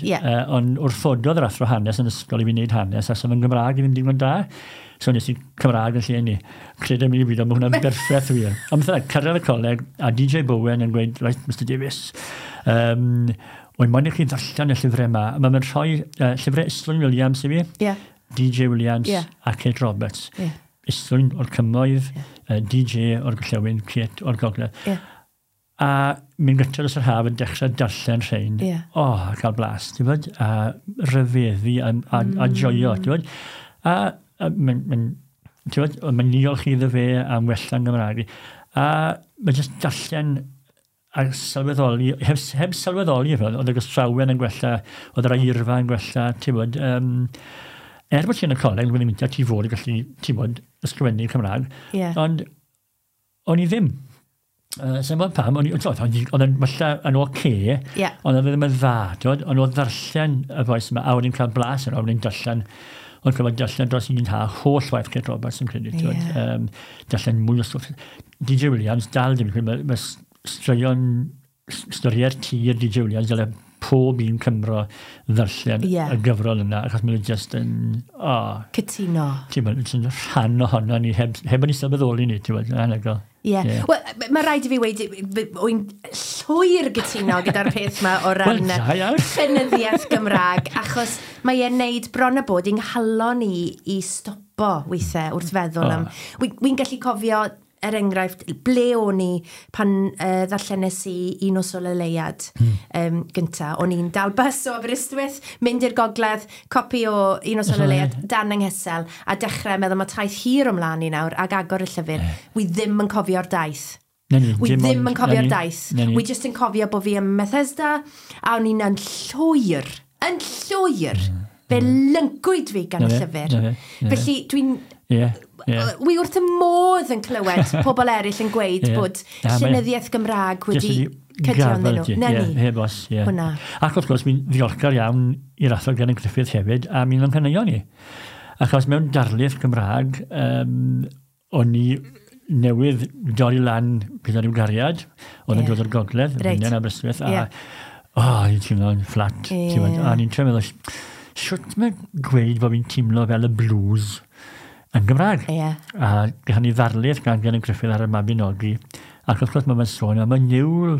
ond wrthododd yr athro hanes yn ysgol i fi wneud hanes, a sef yn Gymraeg i ddim digon da. So nes i Cymraeg yn lle ni. Credu mi i byd, ond mae hwnna'n berffaith wir. Ond beth bynnag, cyrraedd y coleg, a DJ Bowen yn gweud, right, Mr Davies, o'n moyn i chi ddarllen y llyfrau yma. Mae'n rhoi llyfrau Islwyn Williams i fi, DJ Williams a Kate Roberts. Islwyn o'r Cymoedd, DJ o'r Gorllewin, Kate o'r Gogledd. A mynd gyntaf dros yr haf yn dechrau darllen rhain. O, a cael blas, ti'n bod? A rhyfeddu a joio, ti'n bod? A ti'n bod, mae'n niolch iddo fe am wella'n Gymraeg. A mae jyst darllen a sylweddoli, heb sylweddoli, oedd y gystrawen yn gwella, oedd yr eirfa yn gwella, ti'n bod? Er bod ti yn y coleg, dwi'n mynd ti fod yn gallu, ti'n bod, ysgrifennu Cymraeg, ond o'n i ddim. Sa'n bod pam, oedd yn falle yn oce, ond oedd ddim yn dda, ond oedd ddarllen y boes yma, a o'n i'n cael blas yno, o'n i'n darllen, o'n cael darllen dros un ha, holl waith Kate Roberts yn credu, darllen mwy o stwff. DJ Williams, dal dim, mae straeon, storiau'r tir DJ Williams, dyle pob un Cymro ddarllen y gyfrol yna, achos mae'n just yn... Cytuno. Ti'n bod, yn rhan ohono ni, heb o'n i sylweddoli ni, ti'n bod, anhygoel. Ie. Wel, mae rhaid i fi weud, wy'n llwyr gytuno gyda'r peth yma o ran llenyddiaeth Gymraeg, achos mae e'n neud bron a bod i'n nghalon i i stopo weithiau wrth feddwl am... Wy'n gallu cofio er enghraifft, ble o'n i pan ddarllenes i Un Nos Ola Leuad gynta. O'n i'n dal bus o Aberystwyth, mynd i'r gogledd, copi o Un Nos Ola Leuad dan yng nghesel, a dechrau meddwl mae taith hir ymlaen i nawr, ac agor y llyfr. Wi ddim yn cofio'r daith. Wi ddim yn cofio'r daith. Wi jyst yn cofio bod fi ym Methesda, a o'n i'n yn llwyr, yn llwyr. Fe lyncwyd fi gan y llyfr. Felly dwi'n... Wi wrth y modd yn clywed pobl eraill yn gweud bod llenyddiaeth Gymraeg wedi cydio ynddyn nhw. Na ni. Heb os, ie. Hwna. Ac wrth gwrs, mi'n ddiolchgar iawn i'r athro Geraint Gruffydd hefyd am un o'n caneuon ni. Achos mewn darlith Gymraeg, o'n i newydd dorri lan gyda rhyw gariad, oedd yn dod o'r gogledd, yn Aberystwyth, a o'n i'n teimlo'n fflat. A o'n i'n trio meddwl, shwt mae gweud bod fi'n teimlo fel y blues yn Gymraeg. A gaethon ni ddarlith gan Geraint Gruffydd ar y Mabinogi, ac wrth gwrs mae'n sôn am y niwl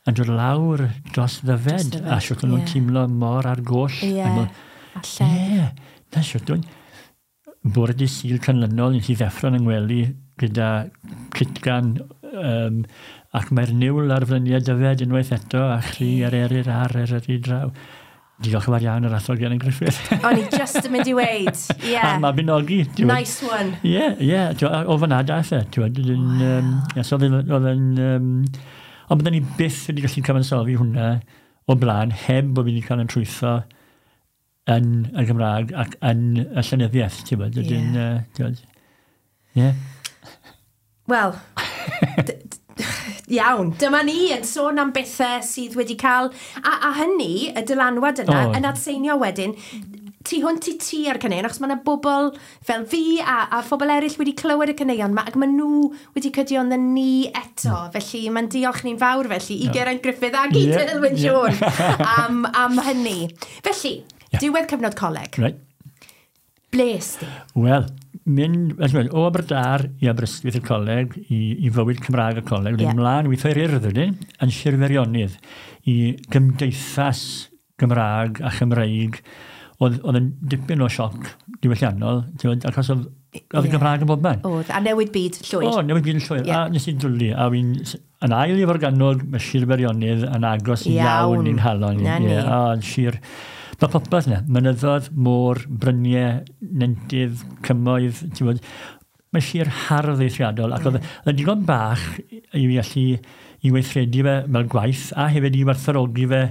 yn dod lawr dros Ddyfed, a shwt o'n nhw'n teimlo mor ar goll. Ie, na shwt o'n... Bore dydd Sul canlynol, nes i ddeffro'n yng ngwely gyda cytgan, ac mae'r niwl ar fryniau Dyfed unwaith eto, a chri ar eryr ar eryr draw. Diolch yn fawr iawn yr athro Geraint Gruffydd. O'n i just yn mynd i weid. Ie. A Mabinogi. Nice one. Ie, ie. O fan'na daeth e. Ond byddwn ni byth wedi gallu cyfansoddi hwnna o blaen heb bod fi wedi cael yn trwytho yn y Gymraeg ac yn y llenyddiaeth, ti'n bod? Ie. Wel, iawn, dyma ni yn sôn am bethau sydd wedi cael, a hynny, y dylanwad yna, yn adseinio wedyn, tu hwnt i ti ar caneuon, achos mae yna bobl fel fi a phobl eraill wedi clywed y caneuon yma, ac maen nhw wedi cydio ynddyn ni eto, felly mae'n diolch ni'n fawr felly i Geraint Gruffydd ac i Dilwyn Siôn am hynny. Felly, diwedd cyfnod coleg. Right. Ble es di? Wel, mynd o Aberdâr i Aberystwyth y coleg, i fywyd Cymraeg y coleg, wedyn mlaen weithio i'r Urdd wedyn, yn Sir Feirionnydd, i gymdeithas Gymraeg a Chymreig, oedd yn dipyn o sioc diwylliannol, achos oedd y Gymraeg yn bob man. Oedd, a newid byd llwyr. O, newid byd yn llwyr, a nes i dwlu, a fi'n yn ail i Forgannwg, mae Sir Feirionnydd yn agos iawn i'n halon. Na ni. A Sir... Mae popeth yna, mynyddoedd, môr, bryniau, nentydd, cymoedd, ti'n bod, mae sir hardd eithriadol, ac oedd yn digon bach i fi allu i weithredu fe fel gwaith, a hefyd i werthfawrogi fe,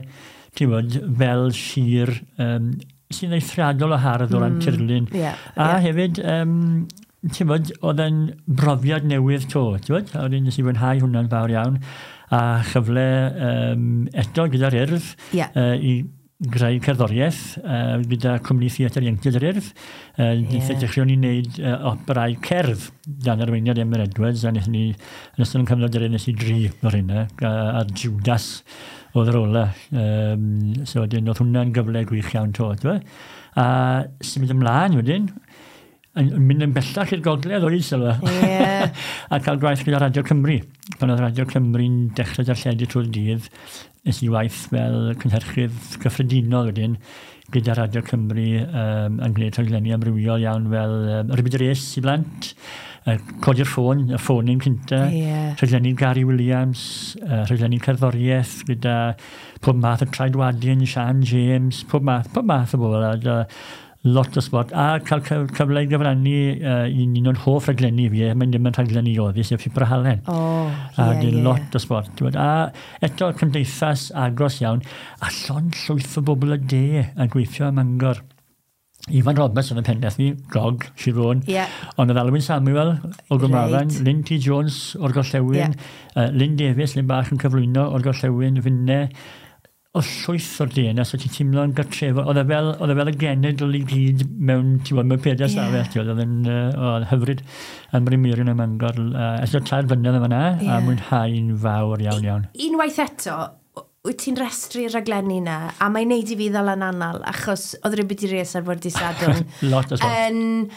ti'n bod, fel sir sy'n eithriadol o hardd o ran tirlun. A hefyd, ti'n bod, oedd yn brofiad newydd to, ti'n bod, a wedyn nes i fwynhau hwnna'n fawr iawn, a chyfle eto gyda'r Urdd i greu cerddoriaeth gyda cwmni theatr ieuenctid yr Urdd. Dechreuon ni wneud operau cerdd dan arweiniad Emyr Edwards, a wnaethon ni, yn ystod yn cyfnod yr Urdd, nes i dri o'r hynna, a'r Judas oedd yr ola. So wedyn, oedd hwnna'n gyfle gwych iawn to. A symud ymlaen wedyn, yn mynd yn bellach i'r gogledd o'i sylwa. A cael gwaith gyda Radio Cymru. Pan oedd Radio Cymru'n dechrau darlledu trwy'r dydd, nes i waith fel cynhyrchydd cyffredinol wedyn gyda Radio Cymru yn gwneud rhaglenni amrywiol iawn fel Rhybyd Rees i blant, codi'r ffôn, y ffonyn cynta, rhaglenni Gary Williams, rhaglenni cerddoriaeth gyda pob math o Traedwadyn, Sian James, pob math o bobl. Lot o sport, a cael cyfle i gyfrannu i un o'n hoff rhaglenni fi, mae'n ddim yn rhaglenni oedd, sef Pipor Halen. A dyn lot o sport. A eto cymdeithas agos iawn, a llond llwyth o bobl y de yn gweithio ym Mangor. Ifan Roberts oedd yn pennaeth ni, Gog, Sir Fôn. Ond oedd Alwyn Samuel o Gwmafan, Lynn T. Jones o'r Gorllewin, Lynn Davies, Lynn Bach yn cyflwyno o'r Gorllewin, Finne, o llwyth o'r DNA, so ti'n teimlo'n gartrefol. Oedd e fel y genedl i gyd mewn, ti'n bod, mewn pedair stafell, oedd yn hyfryd yn Bryn ym Mangor. Ers 3 flynedd yma, a mwynhau'n fawr iawn iawn. Unwaith eto, wyt ti'n rhestru'r rhaglenni na, a mae'n neud i fi ddal yn anal, achos oedd Rhybyd i Rees ar fwrdd dydd Sadwrn. Lot o sbort. Yn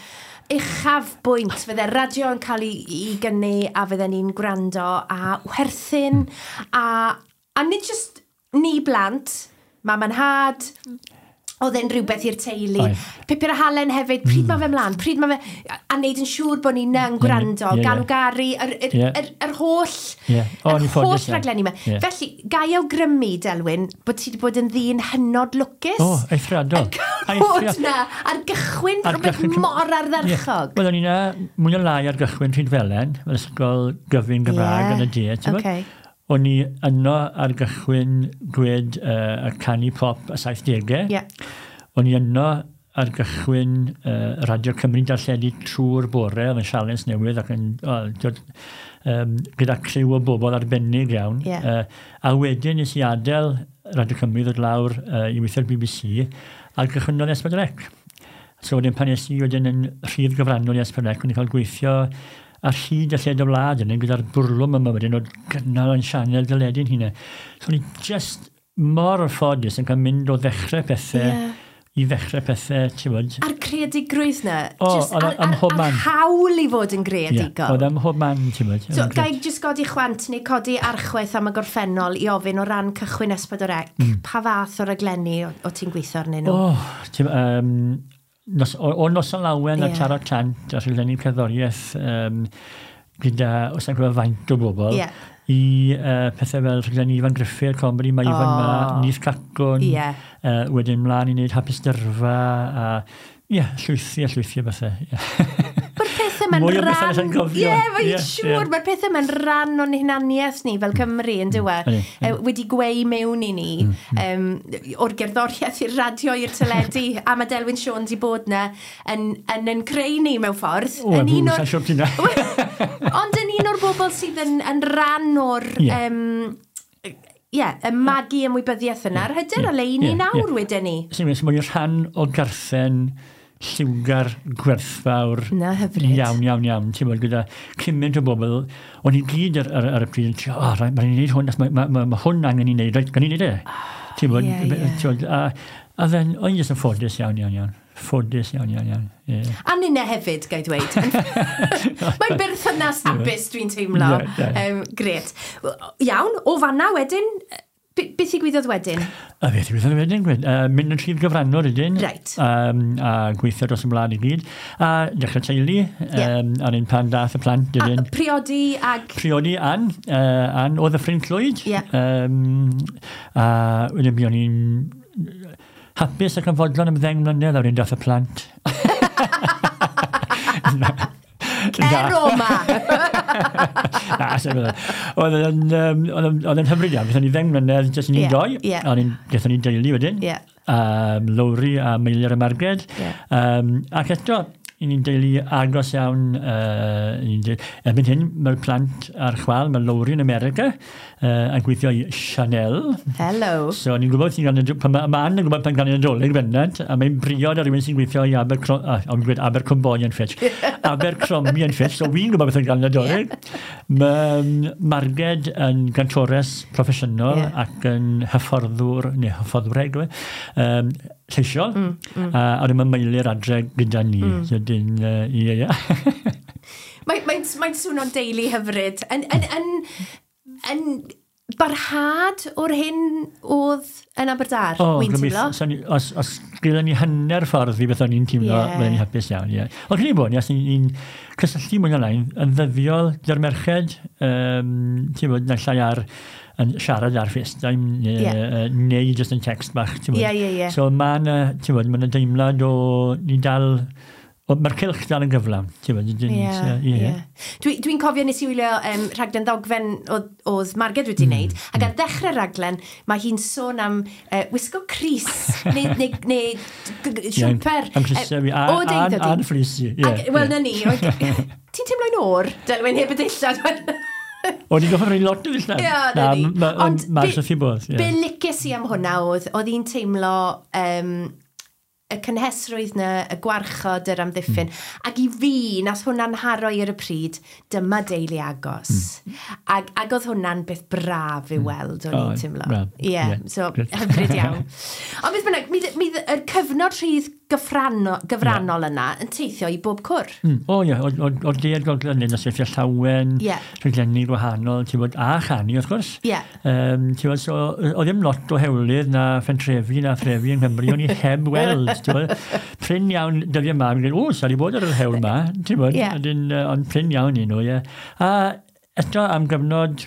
uchafbwynt, fydde radio yn cael ei gynnu, a fydde ni'n gwrando, a werthyn, a nid just ni blant, mam a'n nhad, Oedd e'n rhywbeth i'r teulu. Pupur a Halen hefyd, pryd mae fe mlaen, pryd mae fe... A neud yn siŵr bod ni'n yn gwrando, Galw Gari, yr holl, yr holl raglenni yma. Felly, ga i awgrymu, Delwyn, bod ti wedi bod yn ddyn hynod lwcus. O, eithriadol. Yn bod na, ar gychwyn rhywbeth mor ardderchog. Wel, o'n i na, mwy o lai ar gychwyn Rhydfelen, fel ysgol gyfun Gymraeg yn y de, ti'n bod? O'n i yno ar gychwyn gwed y canu pop y 70au. O'n i yno ar gychwyn Radio Cymru darlledu trwy'r bore, oedd yn sialens newydd ac yn, gyda criw o bobl arbennig iawn. A wedyn nes i adael Radio Cymru ddod lawr i weithio'r BBC a gychwynnodd S4C. So wedyn pan nes i wedyn yn rhif gyfrannol i S4C, o'n i'n cael gweithio ar hyd y lled y wlad yna, gyda'r bwrlwm yma wedyn o gynnal yn sianel deledu'n hunain. So o'n i just mor ffodus yn cael mynd o ddechrau pethau i ddechrau pethau, ti'n bod. A'r creadigrwydd na, just a'r hawl i fod yn greadigol. Oedd ym mhob man, ti'n bod. So, ga i just godi chwant neu codi archwaith am y gorffennol i ofyn o ran cychwyn S4C, pa fath o raglenni o ti'n gweithio arnyn nhw? O, ti'n o Noson Lawen a Taro Tant a rhaglenni cerddoriaeth gyda, os na'n gwybod faint o bobl, i pethau fel rhaglenni Ifan Gruffydd, comedy, mae Ifan ma, Nith Cacwn, wedyn mlaen i wneud Hapus Dyrfa, a llwythi a llwythi o bethau. Mae'r pethau ma'n rhan... Ie, mae'n siŵr, mae'r pethau ma'n rhan o'n hunaniaeth ni fel Cymru, yn dyw e? Wedi gweu mewn i ni, o'r gerddoriaeth i'r radio i'r teledu, a mae Delwyn Siôn di bod na yn creu ni mewn ffordd. O, yn un o'r... Ond yn un o'r bobl sydd yn rhan o'r... y magu ymwybyddiaeth yna, yr hyder o le i ni nawr wedyn ni. Sy'n mynd, mae'n rhan o garthen lliwgar, gwerthfawr. Na, hyfryd. Iawn, iawn, iawn. Ti'n bod, gyda cymaint o bobl, o'n i gyd ar y pryd yn trio, o, mae'n i'n neud hwn, mae hwn angen i wneud, reit, gan i wneud e. Ti'n bod, a then, o'n i jyst yn ffodus iawn, iawn, iawn. Ffodus iawn, iawn, iawn. A ninne hefyd, gai dweud. Mae'n berthynas hapus, dwi'n teimlo. Gret. Iawn, o fanna wedyn, beth ddigwyddodd wedyn? A beth ddigwyddodd wedyn, mynd yn rhif gyfrannol wedyn. Right. A gweithio dros y wlad i gyd. A dechrau teulu, a'r un pan dath y plant wedyn. A priodi ag... Priodi Ann, Ann o Ddyffryn Clwyd. A wedyn buon ni'n hapus ac yn fodlon am 10 mlynedd, a wedyn dath y plant. Cer o ma! Na, oedd yn hyfryd iawn. Gaethon ni 10 mlynedd, jyst ni'n doi. Gaethon ni deulu wedyn. Lowri a Meilir a Marged. Ac eto, i ni'n deulu agos iawn. Erbyn hyn, mae'r plant ar chwal, mae Lowri yn America, yn gweithio i Chanel. Hello. So, ni'n gwybod sy'n gael, mae Ann yn gwybod pan gael ei Nadolig bendant, a mae'n briod ar rhywun sy'n gweithio i Abercrombie and Fitch. Abercrombie and Fitch, so wy'n gwybod beth yn gael Nadolig. Mae Marged yn gantores proffesiynol ac yn hyfforddwr, neu hyfforddwreg, lleisiol, a wedyn mae Meilir adre gyda ni. So, dyn, ie. Mae'n swnio'n deulu hyfryd. Yn barhad o'r hyn oedd yn Aberdâr, wy'n teimlo? Os gyda ni hanner ffordd i beth o'n i'n teimlo, byddwn ni'n hapus iawn, ie. Ond credu bod, ni'n cysylltu mwy na lai yn ddyddiol gyda'r merched, ti'n bod, naill ai ar yn siarad ar FaceTime neu just yn text bach, ti'n bod. So mae'n, ti'n bod, mae'n deimlad o ni dal, mae'r cylch dal yn gyflawn, ti'n bod. Dwi'n cofio nes i wylio rhaglen ddogfen oedd Marged wedi wneud, ac ar ddechrau'r rhaglen mae hi'n sôn am wisgo crys neu siwmper. Am crysau fi, a'n ffris i. Wel, na ni. Ti'n teimlo'n oer, Delwyn, heb y dillad? O'n i'n goffa rhoi lot o ddillad. Ie, na ni. Ond mae'n wrth i bodd. Be licies i am hwnna oedd hi'n teimlo y cynhesrwydd na, y gwarchod, yr amddiffyn. Ac i fi, nath hwnna'n haro i ar y pryd, dyma deulu agos. Ac oedd hwnna'n beth braf i weld, o'n i'n teimlo. Ie, yeah, so hyfryd iawn. Ond beth bynnag, mi yr cyfnod rhydd gyfrannol yna yn teithio i bob cwr. O ie, o'r de a'r gogledd, nosweithiau llawen, rhaglenni gwahanol, ti'n bod, a chanu, wrth gwrs. Ti'n bod, so, oedd ddim lot o hewlydd na phentrefi na threfi yng Nghymru, o'n i heb weld, ti'n bod. Prin iawn dyddiau yma, mi'n gweud, o, sa di bod ar yr hewl yma, ti'n bod, ond prin iawn i nhw, ie. A eto am gyfnod,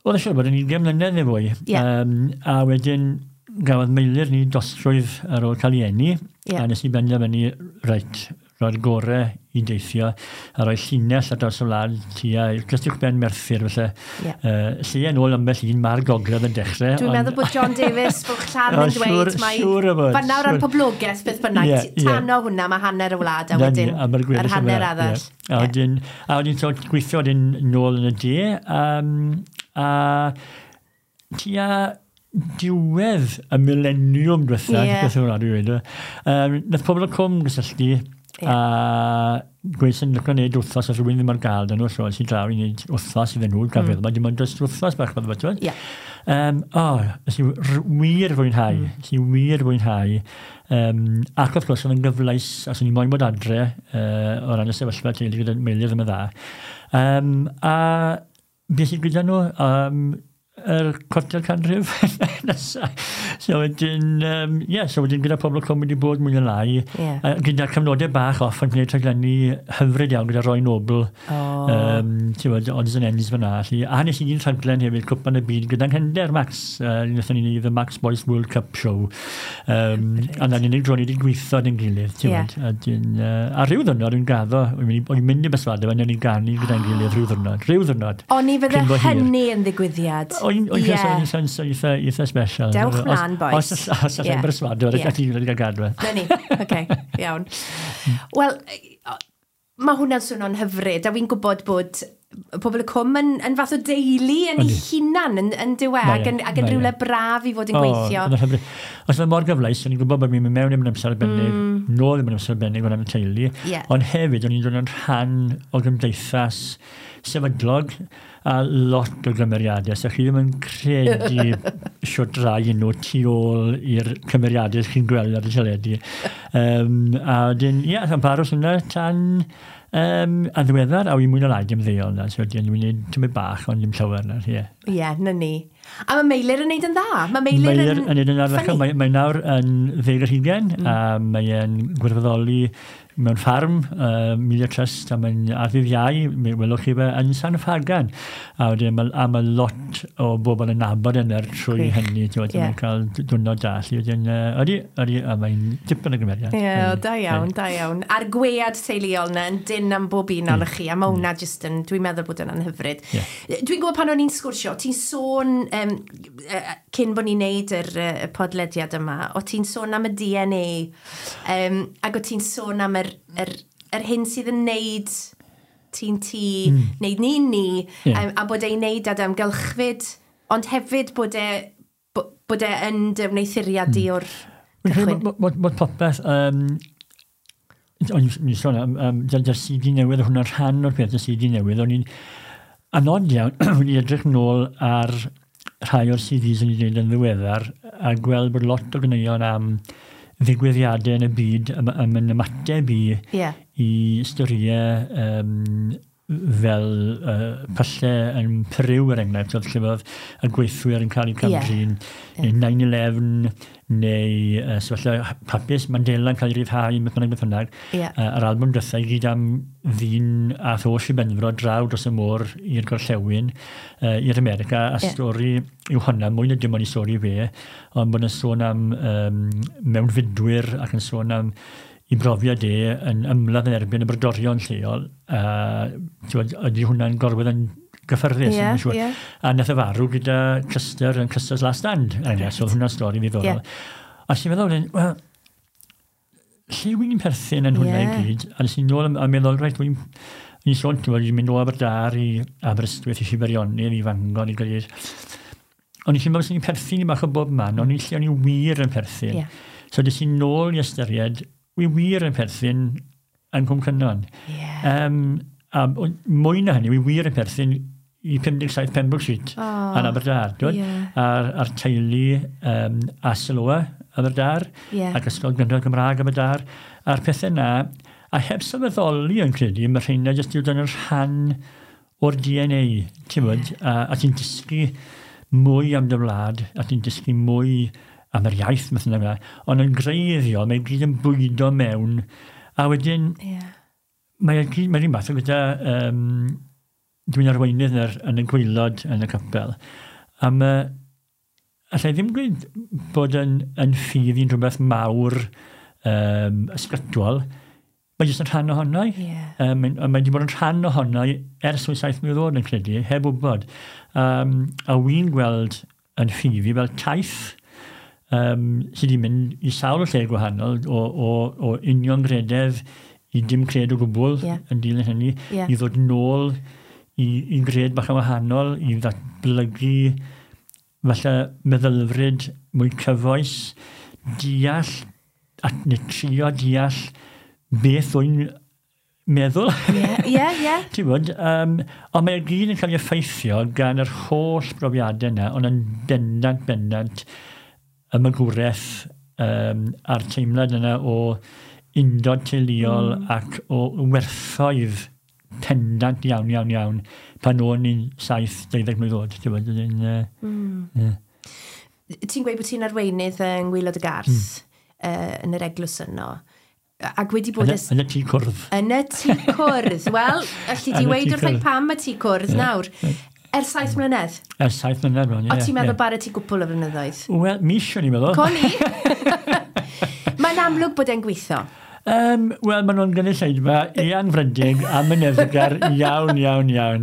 oedd eisiau bod yn 20 mlynedd neu fwy, a wedyn gafodd Meilir ni dostrwydd ar ôl cael ei eni, a nes i benderfynu, reit, roi'r gorau i deithio, a rhoi llinell ar draws y wlad tua, jyst uwchben Merthyr, felly. Lle yn ôl ambell un, mae'r gogledd yn dechrau. Dwi'n meddwl bod John Davies, Bwlch Llan yn dweud, mae fanna o ran poblogaeth, beth bynnag, tano hwnna, mae hanner y wlad, a wedyn yr hanner arall. A wedyn so, gweithio wedyn nôl yn y de, a tua diwedd y mileniwm diwetha, beth yw'n rhaid i weud, nath Pobol y Cwm gysylltu a gweud sy'n licio wneud wythnos os rhywun ddim ar gael dyn nhw, so es i draw i wneud wythnos iddyn nhw, gael feddwl, mae dim ond dros wythnos bach fel yma. O, nes i wir fwynhau, nes i wir fwynhau. Ac wrth gwrs, oedd yn gyfleus, os o'n i moyn bod adre, o ran y sefyllfa teulu gyda Meilir ddim yn dda. A beth sy'n gyda nhw, yr cwarter canrif nesa. So wedyn, so wedyn gyda Pobol y Cwm wedi bod mwy na lai, gyda cyfnodau bach off yn gwneud rhaglenni hyfryd iawn gyda Roy Noble, ti'n bod, odds and ends fyna. A nes i un rhaglen hefyd, Cwpan y Byd, gyda'n nghefnder Max, wnaethon ni wneud The Max Boyce World Cup Show. A na'n unig dro ni wedi gweithio yn gilydd, ti'n bod. A rhyw ddwrnod yn gaddo, o'n i'n mynd i berswadio, o'n i'n ganu gyda'n gilydd rhyw ddwrnod, rhyw ddwrnod. O'n i fydde hynny yn ddigwyddiad. O'n i'n eitha special. Dewch mlaen, boys. Os allai'n berswadio, a ti'n wedi cael gadw. Na ni, oce, iawn. Wel, mae hwnna'n swnio'n hyfryd, a fi'n gwybod bod Pobol y Cwm yn fath o deulu yn ei hunan yn dyw e, ac yn rhywle braf i fod yn gweithio. Os oedd mor gyfleus, o'n i'n gwybod bod mi'n mynd mewn i'n amser arbennig, nôl i'n amser arbennig o'n am y teulu, ond hefyd o'n i'n dod yn rhan o gymdeithas sefydlog a lot o gymeriadau. So chi ddim yn credu siwt rai nhw tu ôl i'r cymeriadau chi'n gweld ar y teledu. A wedyn, ie, yeah, paros hwnna tan a ddiweddar, a wy'n mwy na lai dim ddeol na, so wedyn dwi'n gwneud tymor bach, ond dim llawer na, ie. Ie, na ni. A mae Meilir yn neud yn dda. Mae Meilir yn neud yn dda. Mae nawr yn 20, a mae'n gwirfoddoli mewn ffarm, Media Trust, a mae'n ar ddydd Iau, mi welwch chi fe yn San Ffagan. A wedyn mae lot o bobl yn nabod yn er trwy hynny, ti'n yeah. Mae'n cael diwrnod da. Wedyn, ydy, a mae'n dipyn o gymeriad. Ie, da iawn, da iawn. A'r gwead teuluol na yn dyn am bob un ohonoch chi, a mae hwnna jyst yn, dwi'n meddwl bod yna'n hyfryd. Dwi'n gwybod pan o'n i'n sgwrsio, ti'n sôn, cyn bod ni'n neud yr podlediad yma, o ti'n sôn am y DNA, ac o ti'n sôn am yr hyn sydd yn neud ti'n ti, neud ni'n ni, a bod e'n neud ad amgylchfyd, ond hefyd bod e yn dy wneuthuriad di o'r cychwyn. Bod popeth, o'n i'n sôn am dy'r CD newydd, hwnna'n rhan o'r peth y CD newydd, o'n i'n anod iawn, o'n i'n edrych nôl ar rhai o'r CDs o'n i'n gwneud yn ddiweddar, a gweld bod lot o ganeuon am ddigwyddiadau yn y byd yn ymateb i storïau fel pyllau yn Peru, er enghraifft, oedd lle oedd y gweithwyr yn cael eu camdrin, neu 9/11, neu sefyllfa hapus Mandela yn cael ei ryddhau, beth bynnag, beth bynnag. Yr album diwetha i gyd am ddyn a tholl i Benfro draw dros y môr i'r gorllewin, i'r America, a stori yw hwnna, mwy na dim ond i stori fe, ond bod yn sôn am mewnfudwyr ac yn sôn am i brofiad e yn ymladd yn erbyn y brodorion lleol, ydy hwnna'n gorwedd yn gyffyrddus. A nath e farw gyda Custer yn Custer's Last Stand. So oedd hwnna'n stori ddiddorol. A sy'n meddwl, wel, lle wy'n perthyn yn hwnna i gyd? A nes i'n nôl a meddwl, reit, wy'n sôn, ti'n mynd o Aberdâr i Aberystwyth, i Shibarionydd, i Fangor, i Gaerdydd. O'n i'n meddwl sy'n perthyn i bach o bob man, o'n i'n lle o'n i wir yn perthyn. So des i nôl i ystyried, wi wir yn perthyn yn Cwm Cynon. A mwy na hynny, wi wir yn perthyn i 57 Pembroke Street yn Aberdâr. A'r teulu a Siloa Aberdâr, ac Ysgol Gynradd Gymraeg Aberdâr, a'r pethau na, a heb sylweddoli yn credu, mae rheina jyst i'w dod yn rhan o'r DNA, ti'n gwybod, a ti'n dysgu mwy am dy wlad, a ti'n dysgu mwy am yr iaith, math yna, ond yn greiddiol, mae gyd yn bwydo mewn, a wedyn, mae'n un math o gyda, dwi'n arweinydd yn y gwaelod yn y capel, a mae, allai ddim gweud bod yn ffydd i'n rhywbeth mawr ysgytwol, mae jyst yn rhan ohono i. Mae wedi bod yn rhan ohono i ers 7 mlynedd oed yn credu, heb wybod. A wy'n gweld yn ffydd i fel taith sydd wedi mynd i sawl lle gwahanol o uniongrededd i dim cred o gwbl yn dilyn hynny, i ddod nôl i gred bach yn wahanol, i ddatblygu falle meddylfryd mwy cyfoes, deall, neu trio deall beth wy'n meddwl. Ti'n gwybod, ond mae gyd yn cael ei effeithio gan yr holl brofiadau yna, ond yn bendant y magwraeth a'r teimlad yna o undod teuluol ac o werthoedd pendant iawn, iawn, iawn, pan o'n i'n 7-12 mlwydd oed. Ti'n gwybod, Ti'n gweud bod ti'n arweinydd yng Ngwaelod y Garth yn yr eglwys yno. Ac wedi bod... Yn y tŷ cwrdd. Yn y tŷ cwrdd. Wel, alli di weud wrth pam y tŷ cwrdd nawr. Ers 7 mlynedd? Ers 7 mlynedd, bron, ie. O ti'n meddwl bara ti gwpl o flynyddoedd? Wel, mis o'n i'n meddwl. Co ni! Mae'n amlwg bod e'n gweithio. Wel, maen nhw'n gynulleidfa eangfrydig a myneddgar iawn, iawn, iawn.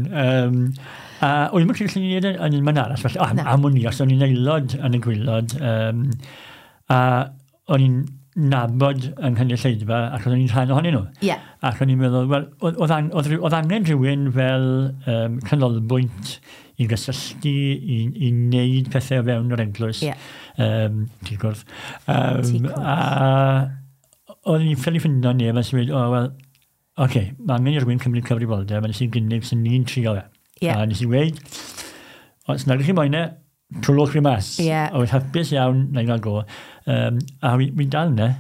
A o'n i'n credu allan ni yn un man arall, felly, am o'n i, os o'n i'n aelod yn y gwaelod, a o'n i'n nabod yng nghynulleidfa ac o'n i'n rhan ohonyn nhw. Ac o'n i'n meddwl, wel, oedd angen rhywun fel canolbwynt i gysylltu, i wneud pethau o fewn yr eglwys. Tŷ cwrdd. A o'n i'n ffili ffindo neb a sy'n dweud, o, wel, oce, mae angen i rhywun cymryd cyfrifoldeb, a nes i'n gynnig sy'n ni'n trio fe. A nes i weud, os nag ydych chi moyn e, trwlwch fi mas. A oedd hapus iawn, na i gael go. A wy'n dal yna.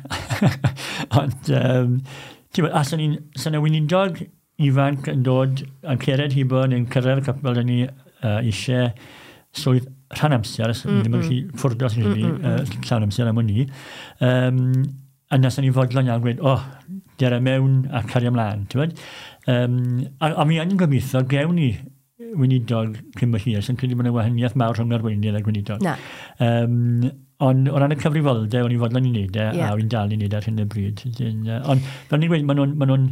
Ond, ti'n bod, a sy'n y weinidog ifanc yn dod, yn cered hibo, neu'n cyrraedd y capel, dyn ni eisiau swydd rhan amser, ddim yn gallu ffwrdd os ni, llawn amser am o'n i. A nes o'n i'n fodlon iawn gweud, o, dere mewn a cario ymlaen, ti'n bod? A mi yn gobeithio, gewn ni weinidog cyn bo hir, sy'n credu bod yna wahaniaeth mawr rhwng arweinydd a gweinidog. Ond o ran y cyfrifoldeb, o'n i'n fodlon i wneud e, a o'n i'n dal i wneud e ar hyn o bryd. Ond fel ni'n gweud, maen nhw'n,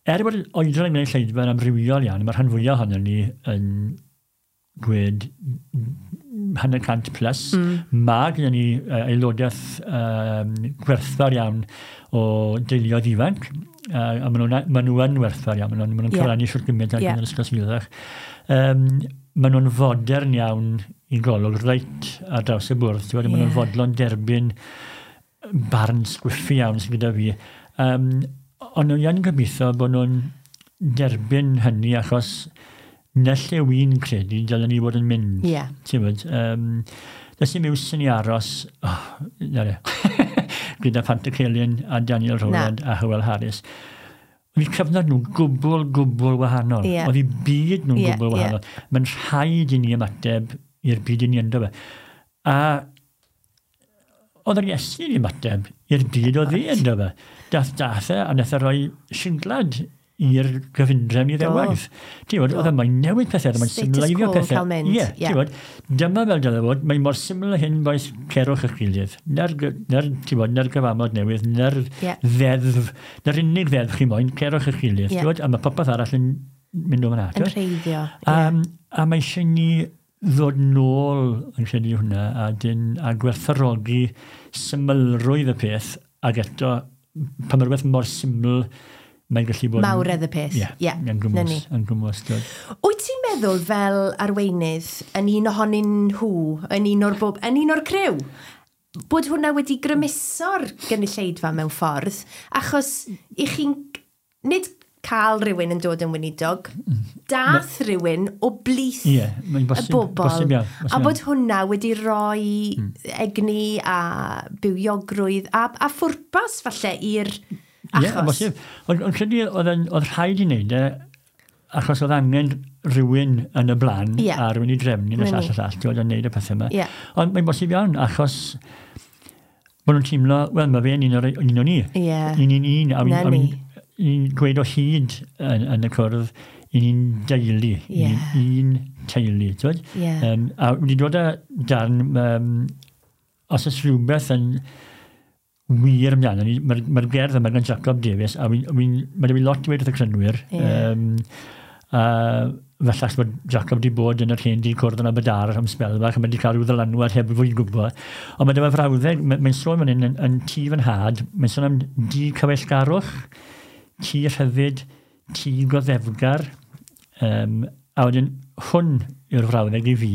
er bod oedran yn gwneud lleidfa yn amrywiol iawn, mae'r rhan fwyaf ohonon ni yn gweud 100% plus. Mae gyda ni aelodaeth gwerthfawr iawn o deuluoedd ifanc, a maen nhw yn werthfawr iawn, maen nhw'n cyfrannu siwr gymaint ar gyfer Ysgol Sul. Maen nhw'n fodern iawn i golwg reit ar draws y bwrdd. Maen nhw'n fodlon derbyn barn sgwiffi iawn sydd gyda fi. Ond nhw'n yn gobeithio bod nhw'n derbyn hynny achos na lle wy'n credu dylen ni fod yn mynd. Ti'n gwybod, does dim iws yn i aros, gyda Pantycelyn a Daniel Rowland a Hywel Harris. Oedd eu cyfnod nhw'n gwbl, gwbl wahanol. Oedd eu byd nhw'n gwbl wahanol. Mae'n rhaid i ni ymateb i'r byd i ni ynddo fe. A oedd yr Iesu'n ymateb i'r byd oedd e ynddo fe. Dath e a nath e roi singlad i'r gyfundrefn i ddewaith. Ti'n gwybod, oedd e mae'n newid pethau, mae'n symleiddio pethau. Ie, ti'n gwybod, dyma fel dylai fod, mae'n mor syml hyn boes cerwch eich gilydd. Na'r, ti'n gwybod, na'r gyfamod newydd, na'r ddeddf, na'r unig ddeddf chi moyn, cerwch eich gilydd. Ti'n gwybod, a mae popeth arall yn mynd o fan'na. Yn rheiddio. A mae eisiau ni ddod nôl yn credu hwnna a gwerthfawrogi symlrwydd y peth, ac eto, pan mae rhywbeth mor syml, mae'n gallu bod... Mawredd y peth. Ie, yn gwmws. Yn gwmws. Wyt ti'n meddwl fel arweinydd yn un ohonyn nhw, yn un o'r bob, yn un o'r criw, bod hwnna wedi grymuso'r gynulleidfa mewn ffordd, achos i chi'n nid cael rhywun yn dod yn weinidog, dath rhywun o blith mae'n y bosib, bobl. bosib iawn. A bod hwnna wedi rhoi egni a bywiogrwydd a phwrpas falle i'r Ie, achos. bosib. Ond credu oedd rhaid i wneud e, achos oedd angen rhywun yn y blaen a rhywun i drefnu yn y Na llall ni. a llall, ti'n gwbod, yn wneud y pethau yma. Ond mae'n bosib iawn, achos bod nhw'n teimlo, wel, mae fe'n un o ni. Un i'n un, a Na ni. ni'n gweud o hyd yn y cwrdd, i ni'n deulu, i ni'n un teulu, ti'n gwbod? A wedi dod â darn, os oes rhywbeth yn wir amdano ni, mae'r gerdd yma gan Jacob Davies, a mae 'da fi lot i weud wrth y crynwyr. A falle achos bod Jacob wedi bod yn yr hen di cwrdd yn Aberdâr am sbel bach, a mae wedi cael rhyw ddylanwad heb fwy gwybod. Ond mae dyma frawddeg, mae'n sôn fan hyn yn tŷ fy nhad, mae'n sôn am dŷ cyfeillgarwch, tŷ rhyddid, tŷ goddefgar, a wedyn hwn yw'r frawddeg i fi,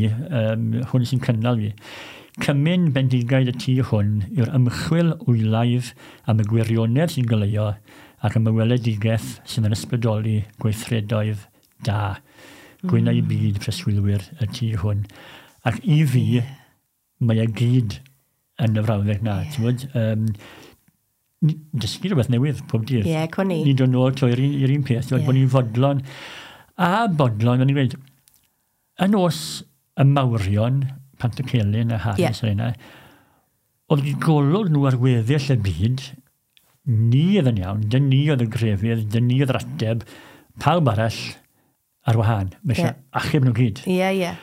hwn sy'n cynnal fi. Cymun bendigaid y tŷ hwn yw'r ymchwil wylaidd am y gwirionedd sy'n goleuo ac am y weledigaeth sydd yn ysbrydoli gweithredoedd da. Gwynau byd preswylwyr y tŷ hwn. Ac i fi, mae e gyd yn y frawddeg na. Ti'n gwbod? Dysgu rhywbeth newydd pob dydd. Ie, co ni. Ni'n dod nôl to i'r un peth, ti'n gwbod, bod ni'n fodlon. A bodlon, o'n i'n gweud, yn os y mawrion, Pantycelyn a Harris yeah. yna, oedd wedi golwg nhw ar weddill y byd, ni oedd yn iawn, dyn ni oedd y grefydd, dyn ni oedd yr ateb, pawb arall ar wahân. Mae eisiau achub nhw gyd. Ie, ie.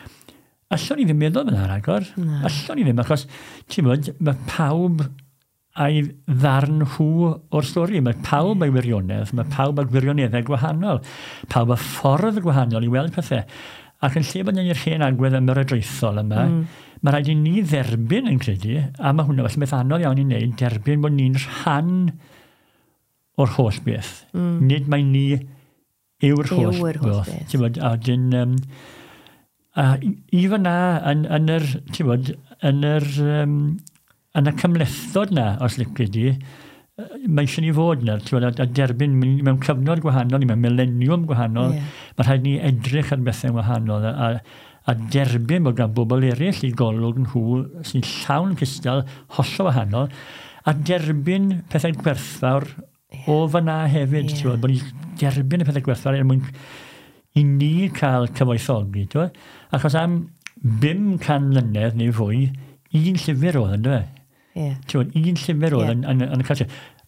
Allwn ni ddim meddwl fyna rhagor. Allwn ni ddim, achos, ti'n gwbod, mae pawb a'i ddarn nhw o'r stori. Mae pawb a'i wirionedd, mae pawb â gwirioneddau gwahanol, pawb â ffordd gwahanol i weld pethau. Ac yn lle bod ni'r hen agwedd ymyrodraethol yma, mae rhaid i ni dderbyn yn credu, a mae hwnna felly beth anodd iawn i wneud, derbyn bod ni'n rhan o'r holl beth. Nid mai ni yw'r holl Yw'r holl beth. beth. Ti'n gwbod, a wedyn, a i fyna, yn yr, ti'n gwbod, yn y cymhlethdod na, os lici di, mae eisiau ni fod yna, ti'n gwbod, a derbyn mewn cyfnod gwahanol, ni mewn mileniwm gwahanol, mae rhaid ni edrych ar bethau wahanol a derbyn bod gan bobl eraill i golwg nhw sy'n llawn cystal, hollol wahanol, a derbyn pethau gwerthfawr o fyna hefyd, ti'n gwbod, bod ni'n derbyn y pethau gwerthfawr er mwyn i ni cael cyfoethogi, ti'n gwbod? Achos am 500 mlynedd neu fwy, un llyfr oedd yn dweud. Ti'n gwbod, un llyfr oedd yn y cartre.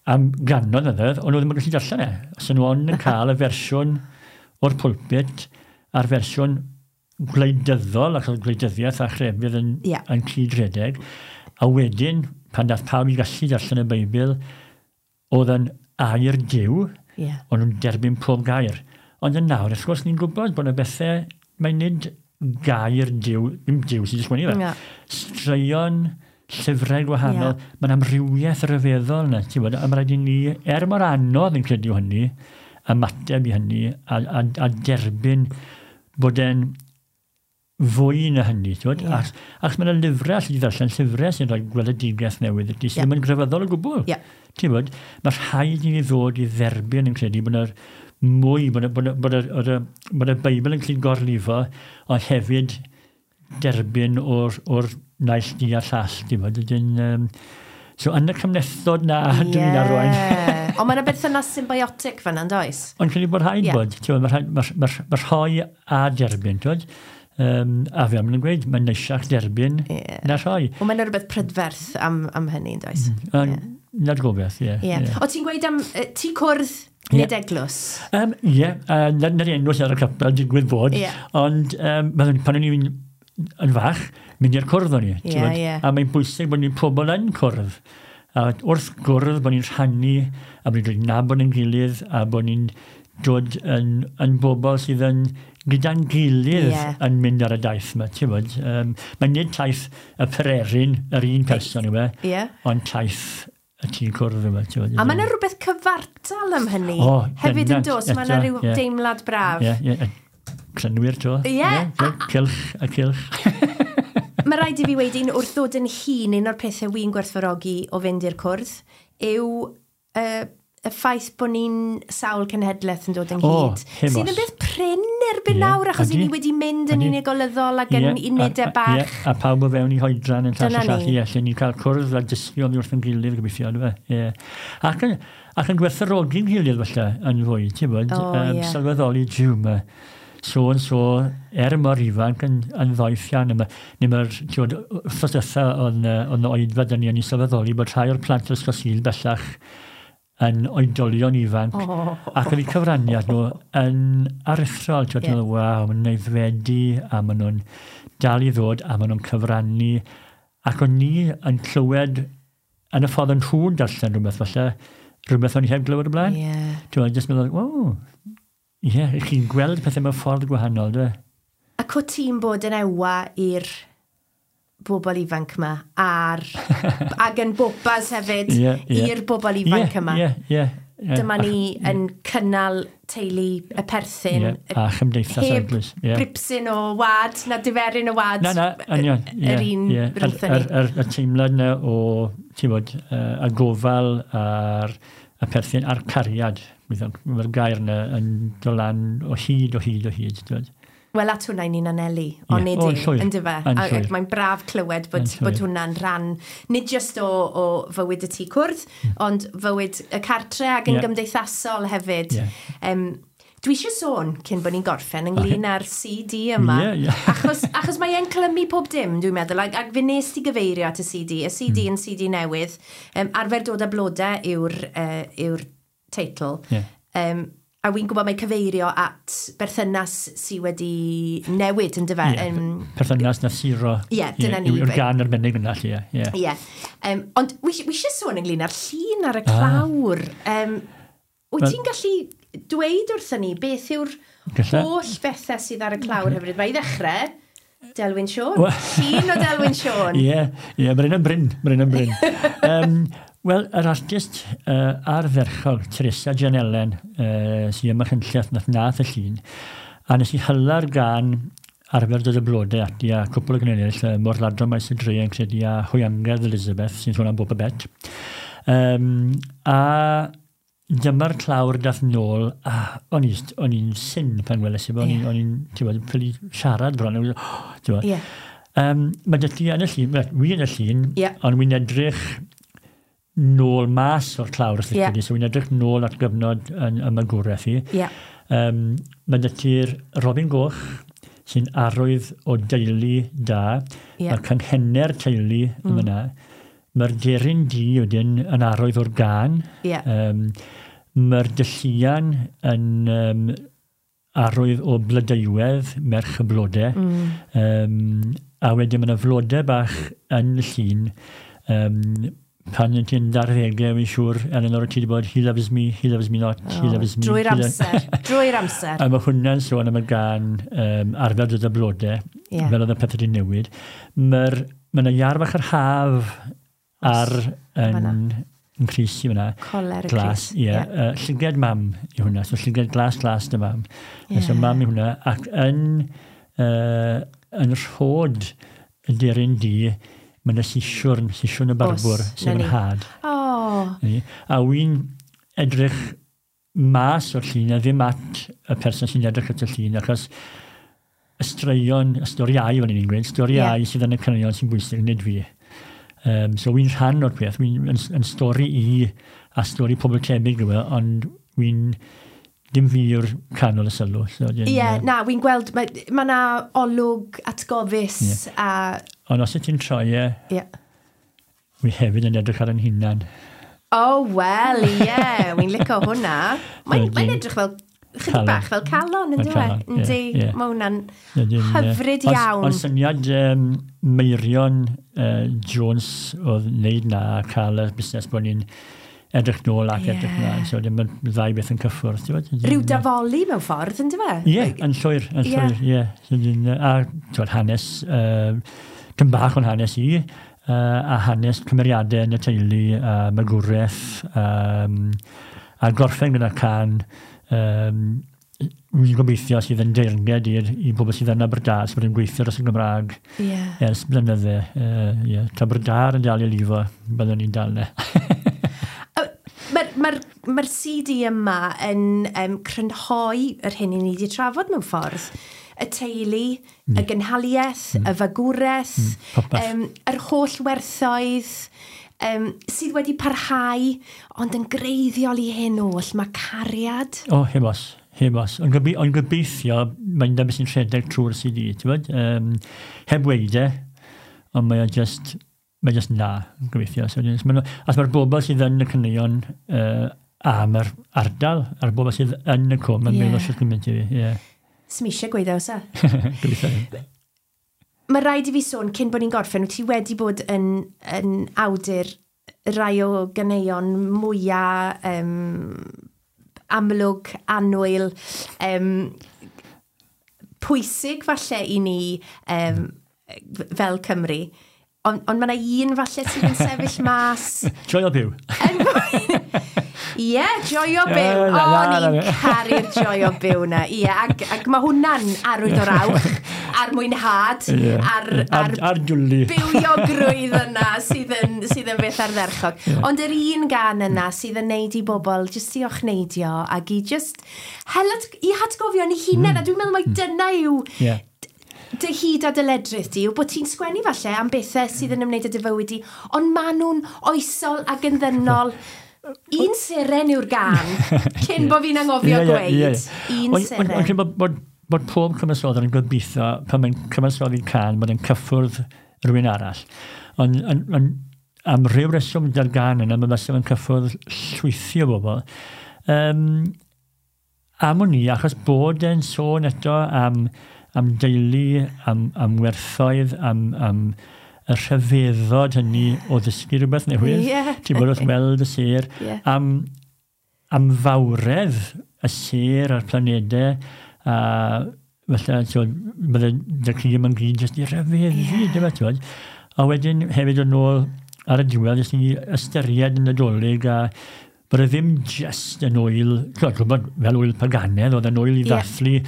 Am gannoedd mlynedd, ond oedd ddim yn gallu darllen e. Os nhw ond yn cael y fersiwn o'r pulpit a'r fersiwn gwleidyddol, ac oedd gwleidyddiaeth a chrefydd yn cyd-redeg. A wedyn, pan dath pawb i gallu darllen y Beibl, oedd yn air Duw, o'n nhw'n derbyn pob gair. Ond yn nawr, wrth gwrs, ni'n gwybod bod yna bethau, mae nid gair Duw, ddim Duw sy'n sgwennu fe. Straeon, llyfrau gwahanol, mae'n amrywiaeth ryfeddol yna, ti'n gwbod, a mae rhaid i ni, er mor anodd yn credu hynny, ymateb i hynny, a derbyn bod e'n fwy na hynny, ti'n gwbod? Achos mae yna lyfrau, alli di ddarllen llyfrau sy'n rhoi gweledigaeth newydd i ti, sydd ddim yn grefyddol o gwbl. Ti'n gwbod, mae rhaid i ni ddod i dderbyn yn credu bod yna mwy, bod y Beibl yn gallu gorlifo, ond hefyd derbyn o'r naill du a'r llall, ti'n gwbod, wedyn, so yn y cymhlethdod na, dwi'n arwain. Ond mae yna berthynas symbiotic fan'na, yn does? Ond credu bod rhaid bod, ti'n gwbod, mae rhoi a derbyn, ti'n gwbod? A fe am yn gweud, mae'n neisiach derbyn na rhoi. Ond mae yna rhywbeth prydferth am hynny, yn does? Na'r gobeith, ie. O, ti'n gweud am tŷ cwrdd nid eglwys? Ie, na'r enw sydd ar y capel, digwydd bod. Ond pan o'n i'n yn fach, mynd i'r cwrdd o'n i. A mae'n bwysig bod ni'n pobl yn cwrdd. A wrth gwrdd bod ni'n rhannu, a bod ni'n dod i nabod ein gilydd, a bod ni'n dod yn bobl sydd yn gyda'n gilydd yn mynd ar y daith yma, ti'n gwbod. Mae'n nid taith y pererin, yr un person yw e, ond taith y tŷ cwrdd yma, ti'n gwbod. A mae yna rhywbeth cyfartal am hynny. Hefyd yn dos, mae yna rhyw deimlad braf. Ie, ie. Crynwyr, to. Ie. Cylch a cylch. Mae Mae rhaid i fi weud un wrth ddod yn hun, un o'r pethau wy'n gwerthfawrogi o fynd i'r cwrdd, yw y ffaith bod ni'n sawl cenhedlaeth yn dod ynghyd. Sydd yn beth prin erbyn nawr, achos i ni wedi mynd yn unigolyddol ac yn unedau bach. Ie, a pawb o fewn i hoedran yn llall a llall, ie, lle ni'n cael cwrdd a dysgu oddi wrth yn gilydd gobeithio, yndyfe? Ie. Ac yn gwerthfawrogi'n gilydd falle yn fwy, ti'n bod, sylweddoli jiw, mae so and so, er mor ifanc yn ddoeth iawn. Neu mae'r, ti'n bod, wythnos diwetha oedd yn oedfa dyn ni, o'n i'n sylweddoli bod rhai o'r plant o'r Ysgol Sul bellach yn oedolion ifanc, ac oedd eu cyfraniad nhw yn aruthrol. Ti'n meddwl, waw, maen nhw'n aeddfedu, a maen nhw'n dal i ddod, a maen nhw'n cyfrannu. Ac o'n ni yn clywed yn y ffordd yn nhw'n darllen rhywbeth, falle, rhywbeth o'n i heb glywed o blaen. Ti'n meddwl, jyst meddwl, waw, ie, chi'n gweld pethau mewn ffordd gwahanol, dwi. Ac o ti'n bod yn ewa i'r bobl ifanc yma, ac yn bobas hefyd i'r bobl ifanc yma. Dyma ni yn cynnal teulu y perthyn. A chymdeithas eglwys. Heb bripsyn o wad, na diferyn o wad. Na, union. Yr un rhywbeth ni. Y teimlad yna o, ti'n bod, y gofal a'r y perthyn a'r cariad. Mae'r gair yna yn dod lan o hyd, o hyd, o hyd. Wel, at hwnna i ni'n anelu, ond nid i, yndyfe? Ac mae'n braf clywed bod hwnna'n rhan, nid jyst o fywyd y tŷ cwrdd, ond fywyd y cartre ac yn gymdeithasol hefyd. Dwi eisiau sôn, cyn bod ni'n gorffen, ynglyn â'r CD yma. Achos mae e'n clymu pob dim, dwi'n meddwl, ac fe nes ti gyfeirio at y CD. Y CD yn CD newydd. Arfer dod â blodau yw'r teitl. A wy'n gwybod mae cyfeirio at berthynas sydd wedi newid, yn dyfe? Perthynas na siro. Ie, dyna ni. Yw'r gan arbennig yna, lle. Ie. Ond wi eisiau sôn ynglyn â'r llun ar y clawr. Wyt ti'n gallu dweud wrthyn ni beth yw'r holl bethau sydd ar y clawr hefyd? Mae i ddechrau, Delwyn Siôn. Llun o Delwyn Siôn. Ie, mae'n un yn brin. Mae'n un yn brin. Wel, yr artist ardderchog, Teresa Janellen, sydd ym Machynlleth nath y llun, a nes i hyla'r gan arfer dod y blodau ati a cwpl o gynnydd eraill, Môr-ladron Maes y Dre yn credu a Hwyangerdd Elizabeth, sy'n sôn am Boba Bet. A dyma'r clawr dath nôl, a o'n i'n syn pan weles i, o'n i'n, ti'n bod, ffili siarad bron, ti'n bod. Mae dy ti yn y llun, wi yn y llun, ond wi'n edrych nôl mas o'r clawr, os yeah. So wy'n edrych nôl at gyfnod yn y magwraeth i. Mae dy ti'r Robin Goch, sy'n arwydd o deulu da. Mae'r canghenau'r teulu yma yna. Mae'r deryn du wedyn yn arwydd o'r gan. Mae'r dylluan yn arwydd o blodeuwedd, merch y blodau. A wedyn mae yna flodau bach yn y llun. Pan yn ti'n darddegau, wy'n siŵr, Eleanor, ti wedi bod, he loves me not, he loves me. Drwy'r amser, drwy'r amser. A mae hwnna'n sôn am y gan arfer dod y blodau, fel oedd y pethau wedi newid. Mae yna iar fach yr haf ar yn crys i fyna. Coler y crys. Ie. Llyged mam i hwnna, so llyged glas dy mam. So mam i hwnna, ac yn rhod y deryn di, mae yna sisiwrn y barbwr, sef yn had. A wy'n edrych mas o'r llun, a ddim at y person sy'n edrych at y llun, achos y straeon, y storiau, fel ni'n gweud, storiau sydd yn y caneuon sy'n bwysig, nid fi. So wy'n rhan o'r peth, wy'n yn stori i a stori pobl tebyg yw e, ond wy'n dim fi yw'r canol y sylw. So, na, wy'n gweld, mae yna olwg atgofus a... Ond os ti'n troi e, wy hefyd yn edrych ar yn hunan. O, wel, ie, wy'n licio hwnna. Mae'n edrych fel, chydig bach fel calon, yn dweud? Yndi, mae hwnna'n hyfryd iawn. Ond syniad Meirion Jones oedd wneud na a cael y busnes bod ni'n edrych nôl ac edrych mlaen. So, dim y ddau beth yn cyffwrdd. Rhyw dafoli mewn ffordd, yn dweud? Ie, yn llwyr, ie. A hanes, tyn bach o'n hanes i, a hanes cymeriadau yn y teulu, a magwraeth, a gorffen gyda can Wy'n gobeithio sydd yn deyrnged i bobl sydd yn Aberdâr, sydd yn gweithio dros y Gymraeg ers blynydde. Yeah. Ta Aberdâr yn dal i lifo, byddwn ni'n dal ne. Mae'r CD yma yn crynhoi yr hyn i ni wedi trafod mewn ffordd. Y teulu, y gynhaliaeth, y fagwraeth, yr holl werthoedd, sydd wedi parhau, ond yn greiddiol i hyn oll, mae cariad. O, heb os. Heb os. Ond gobeithio, mae'n dyma sy'n rhedeg trwy'r CD, ti'n bod? Heb weud e, ond mae just, mae just na, gobeithio. So, as mae'r bobl sydd yn y caneuon am yr ardal, a'r bobl sydd yn y cwm, yn meddwl sydd gymaint i fi. Yeah. Sdim eisiau gweud o, sa? Gobeithio. Mae rhaid i fi sôn, cyn bod ni'n gorffen, wyt ti wedi bod yn awdur rai o ganeuon mwyaf amlwg, annwyl, pwysig falle i ni fel Cymru. Ond mae yna un falle sydd yn sefyll mas. Joio byw. Ie, joio byw. O, ni'n caru'r joio byw na. Ie, ac mae hwnna'n arwydd o'r awch, a'r mwynhad, a'r dwli. Bywiogrwydd yna sydd yn beth ardderchog. Yeah. Ond yr un gan yna sydd yn neud i bobl jyst i ochneidio ac i just i hatgofio ni hunain, a dwi'n meddwl mai dyna yw dy hyd a dy ledrith di, yw bod ti'n sgwennu falle am bethau sydd yn ymwneud â dy fywyd di, ond maen nhw'n oesol ac yn ddynol. Un seren yw'r gan, cyn bod fi'n anghofio gweud. Un seren. Ond bod pob cyfansoddwr yn gobeithio, pan mae'n cyfansoddi can, bod e'n cyffwrdd rhywun arall. Ond am ryw reswm da'r gan yna, mae fysa fe'n cyffwrdd llwythi o bobl. Am wn i, achos bod e'n sôn eto am deulu, am werthoedd, am y rhyfeddod hynny o ddysgu rhywbeth newydd. Ti'n bod wrth weld y sêr. Am fawredd y sêr a'r planedau, a falle, bydde dy ci yma'n gyd jyst i rhyfeddu, dim ti'n bod. A wedyn hefyd yn ôl ar y diwedd, jyst i ystyried yn Nadolig, a bod e ddim just yn ŵyl, gwybod, fel ŵyl paganedd, oedd yn ŵyl i ddathlu.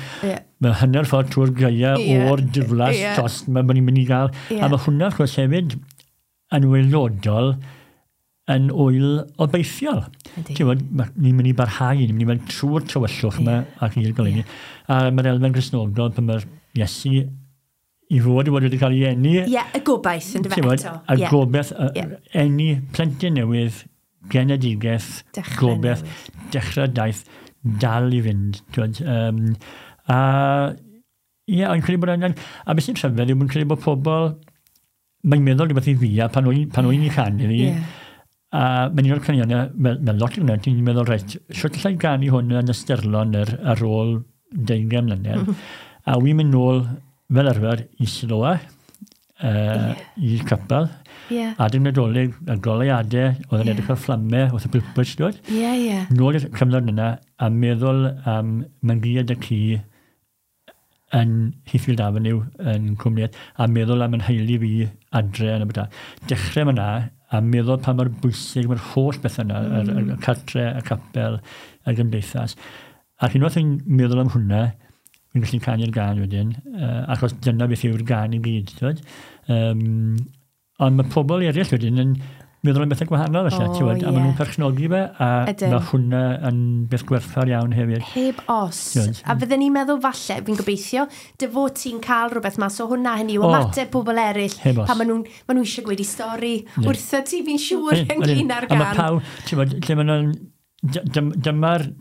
Mae hanner ffordd trwy'r gaea o'r diflas tost mae ni'n mynd i gael. A mae hwnna, wrth gwrs, hefyd yn waelodol yn ŵyl obeithiol. Ti'n gwybod, ni'n mynd i barhau, ni'n mynd i mynd trwy'r tywyllwch yma ac i'r goleuni. A mae'r elfen Gristnogol pan mae'r Iesu i fod wedi cael ei eni. Ie, y gobaith yn dyfe eto. Y gobaith, eni plentyn newydd, genedigaeth, gobaith, dechrau daith, dal i fynd. A ie, o'n credu bod angen, a beth sy'n rhyfedd yw, mae'n credu bod pobl, mae'n meddwl rhywbeth i fi, a pan o'n i'n canu fi, a mae'n un o'r caneuon, mewn lot o'n ti'n meddwl, reit, sut allai ganu hwn yn ystyrlon ar ôl 20 mlynedd, a wy'n mynd nôl fel arfer i Siloa, i'r capel, adeg Nadolig, y goleuadau, oedd yn edrych ar fflamau, wrth y pwlpwys, dod. Nôl i'r cyfnod yna, a meddwl am Mangiad y Ci yn Heathfield Avenue yn Cwmniaeth, a meddwl am yn heili fi adre yn y bydda. Dechrau yma, a meddwl pa mor bwysig mae'r holl beth yna, y cartre, y capel, y gymdeithas. Ac unwaith yn meddwl am hwnna, fi'n gallu canu'r gan wedyn, achos dyna beth yw'r gan i gyd. Ond mae pobl eraill wedyn yn meddwl am bethau gwahanol felly, ti'n gwybod, a maen nhw'n perchnogi fe, a mae hwnna yn beth gwerthfawr iawn hefyd. Heb os. A fydden ni'n meddwl falle, fi'n gobeithio, dy fod ti'n cael rhywbeth mas o hwnna, hynny yw ymateb pobl eraill, pan maen nhw eisiau gweud i stori wrtho ti, fi'n siŵr ynglyn â'r gan. A mae pawb, ti'n gwybod, lle maen nhw'n,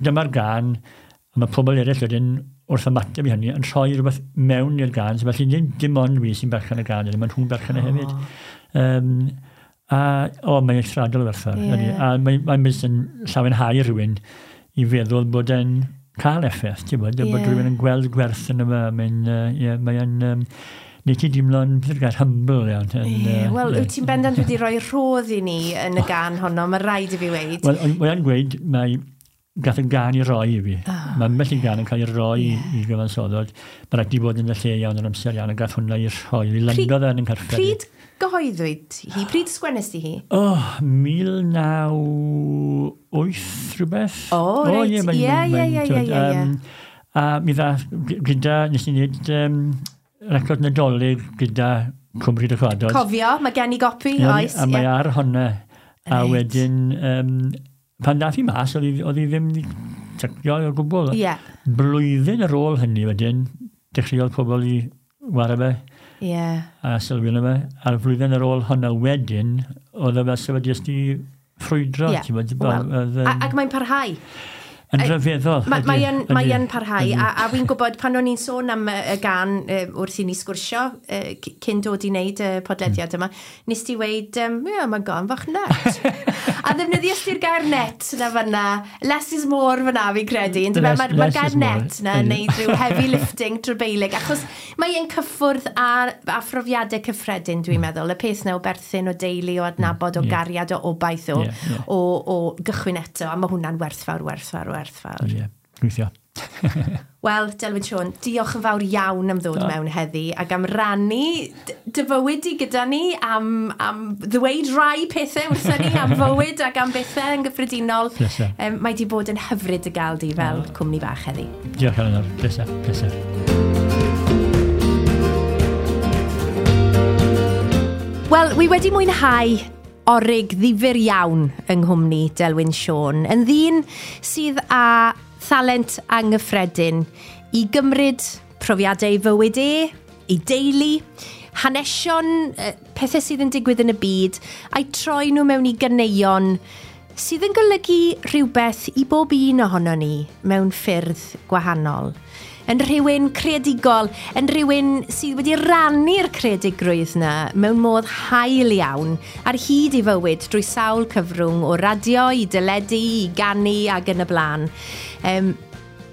dyma'r gan, a mae pobl eraill wedyn wrth ymateb i hynny yn rhoi rhywbeth mewn i'r gan, so felly dim ond fi sy'n berchen y gan, maen nhw'n berchen e hefyd. A mae'n eithriadol o werthfawr. A mae'n mynd yn llawenhau rhywun i feddwl bod e'n cael effaith, ti'n bod, bod rhywun yn gweld gwerth yn yma, mae'n neu ti dimlo'n humble iawn. Wel, wyt ti'n bendant wedi rhoi rhodd i ni yn y gan honno, mae rhaid i fi weud. Wel, mae'n gweud, mae gath y gan i roi i fi. Mae ambell i gan yn cael ei roi i gyfansoddod. Mae rhaid i fod yn y lle iawn yn amser iawn, a gath hwnna i rhoi. I landodd yn carfed. Pryd gyhoeddwyd hi? Pryd sgwennest ti hi? O, 1908 rhywbeth. O, reit. Ie. A mi ddath gyda, nes i wneud record Nadolig gyda Cwm Rhyd y Cwadod. Cofio, mae gen i gopi, oes. A mae ar honna. A wedyn, pan dath i mas, oedd hi ddim wedi tycio o gwbl. Blwyddyn ar ôl hynny wedyn, dechreuodd pobl i wara fe. A sylwi arno fe. A'r flwyddyn ar ôl honna wedyn, oedd e fel sef wedi jyst i ffrwydro. Well, ac mae'n parhau. Yn rhyfeddol. Mae yn parhau, a fi'n gwybod pan o'n i'n sôn am y gan wrth i ni sgwrsio cyn dod i wneud y podlediad yma, nes ti weud, ie, mae'n gan fach net. A ddefnyddiais ti'r gair net na fyna, less is more fyna fi'n credu. Mae'r gair net na yn neud rhyw heavy lifting trybeilig, achos mae'n cyffwrdd a phrofiadau cyffredin, dwi'n meddwl. Y peth na o berthyn, o deulu, o adnabod, o gariad, o obaith, o gychwyn eto, a mae hwnna'n werthfawr, werthfawr, werthfawr. Ie, gweithio. Wel, Delwyn Siôn, diolch yn fawr iawn am ddod mewn heddi ac am rannu dy fywyd i gyda ni, am ddweud rai pethau wrthyn ni, am fywyd ac am bethau yn gyffredinol. Mae di bod yn hyfryd y gael di fel cwmni bach heddi. Diolch, Eleanor. Pleser, pleser. Wel, wi wedi mwynhau orig ddifyr iawn yng nghwmni Delwyn Siôn, yn ddyn sydd â thalent anghyffredin i gymryd profiadau fywyd e, i deulu, hanesion, pethau sydd yn digwydd yn y byd, a'i troi nhw mewn i ganeuon sydd yn golygu rhywbeth i bob un ohono ni mewn ffyrdd gwahanol. Yn rhywun creadigol, yn rhywun sydd wedi rannu'r creadigrwydd na mewn modd hael iawn ar hyd ei fywyd drwy sawl cyfrwng o radio i deledu, i ganu ac yn y blaen.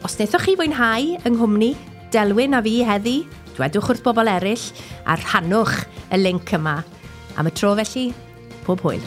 Os wnaethoch chi fwynhau yng nghwmni Delwyn a fi heddi, dwedwch wrth bobl eraill a rhannwch y link yma. Am y tro felly, pob hwyl.